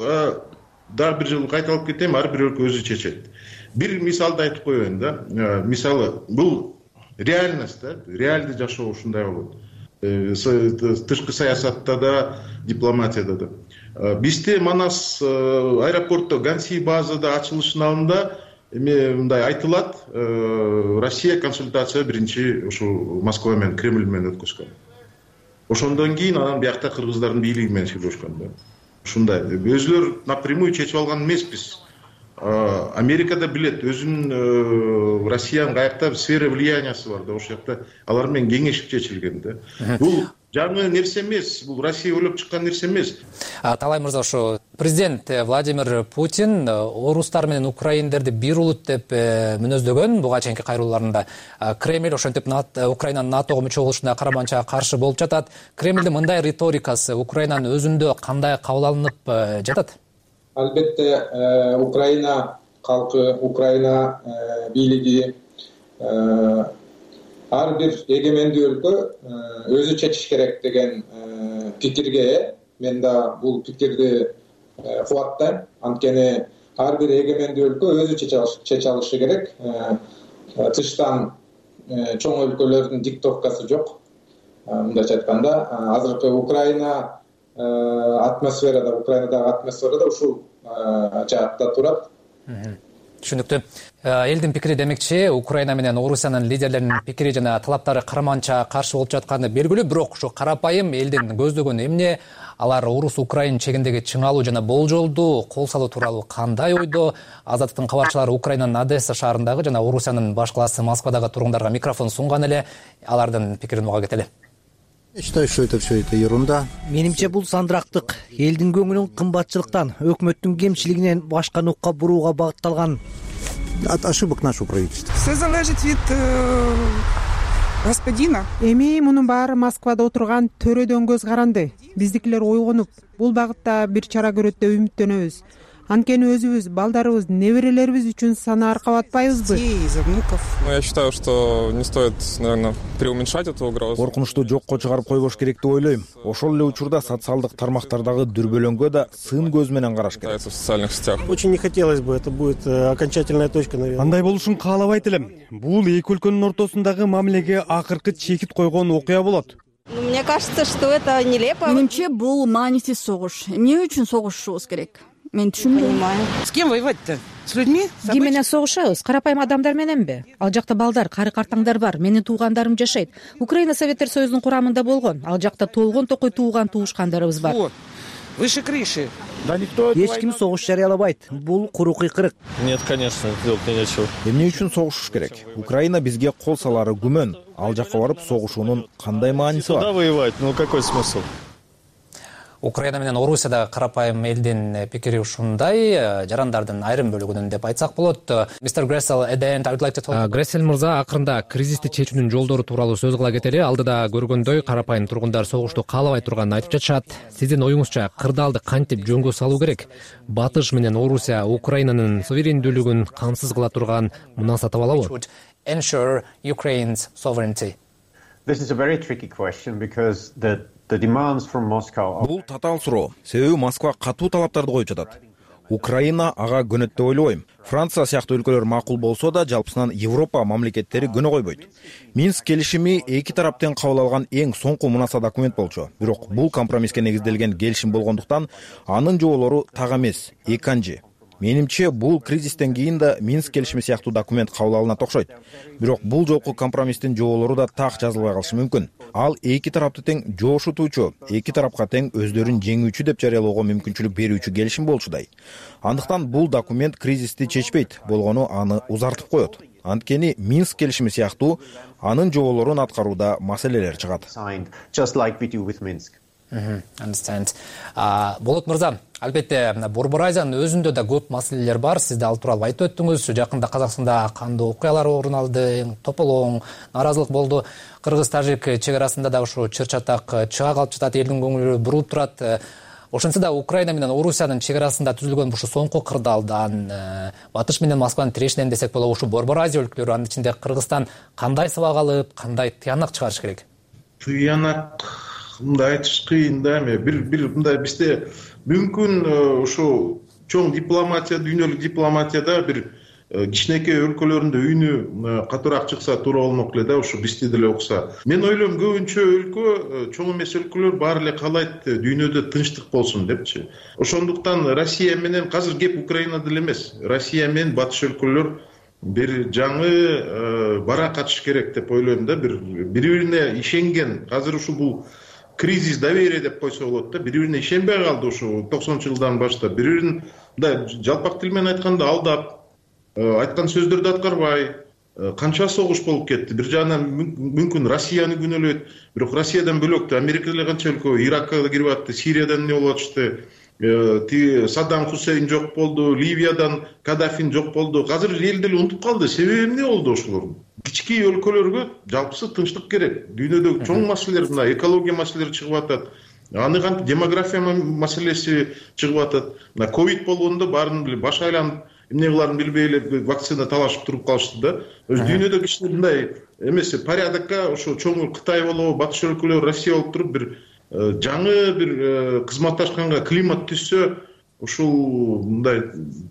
дагы бир жолу кайталап кетем, ар бир өлкө өзү чечет. Бир мисалды айтып коеюн да. Мисалы, бул реальность да, реалдуу жашоо ушундай болот. Тышкы саясатта да, дипломатияда да. Бизде Манас аэропортто Ганси базада ачылышынын алдында эми мындай айтылат, Россия консультация биринчи ушу Москва менен, Кремль менен өткөзгөн. Ошондон кийин анан биякта кыргыздардын бийлиги менен сүйлөшкөн да. Ушундай. Өзүлөр напрямую чечип алган эмеспиз. Америкада билет, өзүнүн Россиянын каякта сфера влияниясы бар да, ошол жакта алар менен кеңешип чечилген да. Бул жаңы нерсе эмес, бул Россия ойлоп чыккан нерсе эмес. Талай мырза, ошо президент Владимир Путин орустар менен украиндерди бир улут деп мүнөздөгөн буга чейинки кайрылууларында. Кремль ошентип Украинанын НАТОго мүчө болушуна караманча каршы болуп жатат. Кремлдин мындай риторикасы Украинанын өзүндө кандай кабыл алынып жатат? Албетте Украина калкы, Украина бийлиги ар бир эгемендүү өлкө өзү чечиш керек деген пикирге мен да бул пикирди кубаттайм. Анткени ар бир эгемендүү өлкө өзү чече алышы керек. Тыштан чоң өлкөлөрдүн диктовкасы жок. Мындайча айтканда, азыркы Украина атмосферада, Украинадагы атмосферада ушул жаатта турат. Түшүнүктүү. Элдин пикири демекчи, Украина менен Орусиянын лидерлеринин пикири жана талаптары карманча каршы болуп жатканы белгилүү, бирок ушу карапайым элдин көздөгөнү эмне? Алар Орус-Украин чегиндеги чыңалуу жана болжолду кол салуу тууралуу кандай ойдо? Азаттыктын кабарчылары Украинанын Одесса шаарындагы жана Орусиянын баш калаасы Москвадагы тургундарга микрофон сунган эле, алардын пикирин уга кетели. Я считаю, что это все это ерунда. Менимче бул сандырактык. Элдин көңүлүн кымбатчылыктан, өкмөттүн кемчилигинен башка нукка бурууга багытталган. От ошибок нашего правительства. Все залежит от господина. Эми мунун баары Москвада отурган төрөдөн көз каранды. Биздикилер ойгонуп, бул багытта бир чара көрөт деп үмүттөнөбүз. анткени өзүбүз, балдарыбыз, неберелерибиз үчүн санаар кабатпайбызбы? Я считаю, что не стоит, наверное, преуменьшать эту угрозу. Коркунучту жокко чыгарып койбош керек деп ойлойм. Ошол эле учурда социалдык тармактардагы дүрбөлөңгө да сын көз менен караш керек. В социальных сетях. Очень не хотелось бы, это будет окончательная точка, наверное. Андай болушун каалабайт элем. Бул эки өлкөнүн ортосундагы мамилеге акыркы чекит койгон окуя болот. Мне кажется, что это нелепо. Менимче, бул маанисиз согуш. Эмне үчүн согушушубуз керек? Мен түшүнбөйм. С кем воевать-то? С людьми? Ким менен согушабыз? Карапайым адамдар мененби? Ал жакта балдар, кары-картаңдар бар. Менин туугандарым жашайт. Украина Советтер Союзунун курамында болгон. Ал жакта толгон токой тууган туушкандарыбыз бар. Выше крыши. Да никто эч ким согуш жарыялабайт. Бул куру кыйкырык. Нет, конечно, делать нечего. Эмне үчүн согушуш керек? Украина бизге кол салары күмөн. Ал жакка барып согушуунун кандай мааниси бар? Туда воевать, ну какой смысл? Украина менен Орусияда карапайым элдин пикири ушундай, жарандардын айрым бөлүгүнүн деп айтсак болот. Мистер Грессел, Грессел мырза акырында кризисти чечүүнүн жолдору тууралуу сөз кыла кетели. Алдыда көргөндөй карапайым тургундар согушту каалабай турганын айтып жатышат. Сиздин оюңузча кырдаалды кантип жөнгө салуу керек? Батыш менен Орусия Украинанын суверендүүлүгүн камсыз кыла турган мунаса таба алабы? Ensure Ukraine's sovereignty. This is a very tricky question because the the demands from Moscow. Бул татаал суроо. Себеби Москва катуу талаптарды коюп жатат. Украина ага көнөт деп ойлобойм. Франция сыяктуу өлкөлөр макул болсо да, жалпысынан Европа мамлекеттери көнө койбойт. Минск келишими эки тараптан кабыл алган эң соңку мунаса документ болчу. Бирок бул компромисске негизделген келишим болгондуктан анын жоболору так эмес, экинчи. Менимче, бул кризистен кийин да Минск келишими сыяктуу документ кабыл алынат окшойт. Бирок бул жолку компромисстин жоболору да так жазылбай калышы мүмкүн. Ал эки тарапты тең жоошутуучу, эки тарапка тең өздөрүн жеңүүчү деп жарыялоого мүмкүнчүлүк берүүчү келишим болчудай. Андыктан бул документ кризисти чечпейт, болгону аны узартып коет. Анткени Минск келишими сыяктуу анын жоболорун аткарууда маселелер чыгат. Just like we do with Minsk. Understand. Болот мырза, албетте Борбор Азиянын өзүндө да көп маселелер бар. Сиз да ал тууралуу айтып өттүңүз. Жакында Казакстанда кандуу окуялар орун алды, тополоң, наразылык болду. Кыргыз-тажик чек арасында да ушу чыр-чатак чыга калып жатат, элдин көңүлү бурулуп турат. Ошентсе да Украина менен Орусиянын чек арасында түзүлгөн ушу соңку кырдаалдан, Батыш менен Москванын тирешинен десек болот, ушу Борбор Азия өлкөлөрү, анын ичинде Кыргызстан кандай сабак алып, кандай тыянак чыгарыш керек? Тыянак мындай айтыш кыйын да. Эми бир бир мындай бизде мүмкүн ушу чоң дипломатия, дүйнөлүк дипломатияда бир кичинекей өлкөлөрүндө үйүнү катуураак чыкса туура болмок эле да, ушу бизди деле укса. Мен ойлойм, көбүнчө өлкө, чоң эмес өлкөлөр баары эле каалайт дүйнөдө тынчтык болсун депчи. Ошондуктан Россия менен азыр кеп Украина деле эмес, Россия менен батыш өлкөлөр бир жаңы бара катыш керек деп ойлойм да. Бир бири-бирине ишенген, азыр ушу бул кризис доверия деп койсо болот да. Бири-бирине ишенбей калды ушу токсонунчу жылдан баштап. Бири-бирин мындай жалпак тил менен айтканда алдап, айткан сөздөрдү аткарбай, канча согуш болуп кетти. Бир жагынан мүмкүн Россияны күнөөлөйт, бирок Россиядан бөлөк да Америка деле канча өлкө, Иракка да кирип атты, Сириядан эмне болуп атышты, ти Саддам Хусейн жок болду, Ливиядан Каддафин жок болду. Азыр эл деле унутуп калды. Себеби эмне болду ошолордун? Кички өлкөлөргө жалпысы тынчтык керек. Дүйнөдө чоң маселелер, мына экология маселелери чыгып атат. Аны кантип демография маселеси чыгып атат. Мына ковид болгондо баарын билип баш айланып, эмне кыларын билбей эле вакцина талашып туруп калышты да. Өз дүйнөдө кичине мындай эмес порядокко ошо чоң Кытай болобу, батыш өлкөлөр, Россия болуп туруп бир жаңы бир кызматташканга климат түзсө, ушул мындай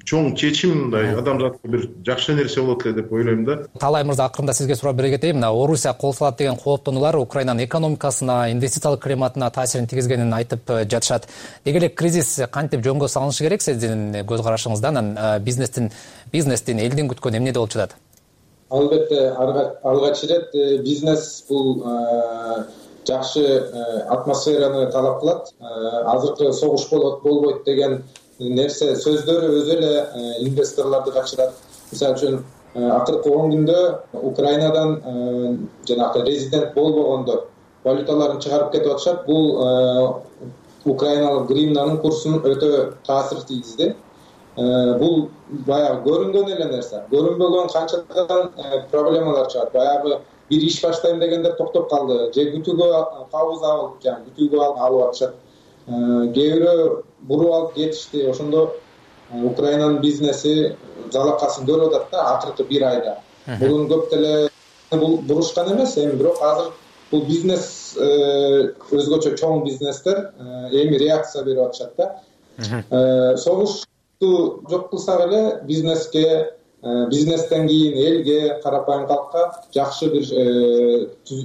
чоң чечим, мындай адамзатка бир жакшы нерсе болот эле деп ойлойм да. Талай мырза, акырында сизге сурап бере кетейин. Мына Орусия кол салат деген кооптонуулар Украинанын экономикасына, инвестициялык климатына таасирин тийгизгенин айтып жатышат. Деги эле кризис кантип жөнгө салынышы керек сиздин көз карашыңыздан? Бизнестин бизнестин элдин күткөнү эмнеде болуп жатат? Албетте, алгач ирет бизнес бул жакшы атмосфераны талап кылат. Азыркы согуш болот, болбойт деген нерсе сөздөрү өзү эле инвесторлорду качырат. Мисалы үчүн акыркы он күндө Украинадан жанагы резидент болбогондор валюталарын чыгарып кетип атышат. Бул украиналык гривнанын курсун өтө таасир тийгизди. Бул баягы көрүнгөн эле нерсе. Көрүнбөгөн канчадан проблемалар чыгат. Баягы бир иш баштайм дегендер токтоп калды. Же күтүүгө кабыз алып, жана күтүүгө алып атышат. Кээ бирөө буруп алып кетишти. Ошондо Украинанын бизнеси жалакасын көрүп атат да акыркы бир айда. Мурун көп деле бурушкан эмес, эми бирок азыр бул бизнес өзгөчө чоң бизнестер эми реакция берип атышат да. Согушту жок кылсак эле бизнеске, бизнестен кийин элге, карапайым калкка жакшы бир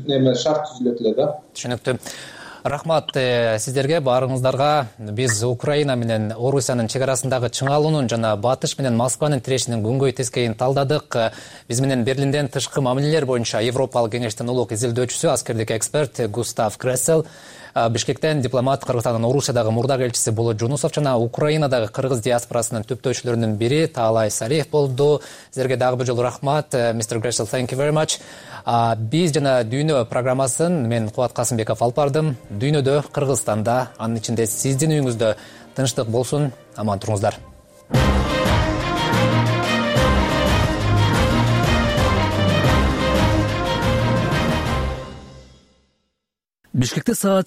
неме шарт түзүлөт эле да. Түшүнүктүү. Рахмат сиздерге, баарыңыздарга. Биз Украина менен Орусиянын чек арасындагы чыңалуунун жана Батыш менен Москванын тирешинин күнгөй тескейин талдадык. Биз менен Берлинден тышкы мамилелер боюнча Европалык кеңештин улук изилдөөчүсү, аскердик эксперт Густав Крессел, Бишкектен дипломат, Кыргызстандын Орусиядагы мурдак элчиси Болот Жунусов жана Украинадагы кыргыз диаспорасынын түптөөчүлөрүнүн бири Таалай Салиев болду. Сиздерге дагы бир жолу рахмат. мистер Крессел, thank you very much. Биз жана Дүйнө программасын мен Кубат Касымбеков алып бардым. Дүйнөдө, Кыргызстанда, анын ичинде сиздин үйүңүздө тынчтык болсун, аман туруңуздар. Бишкекте саат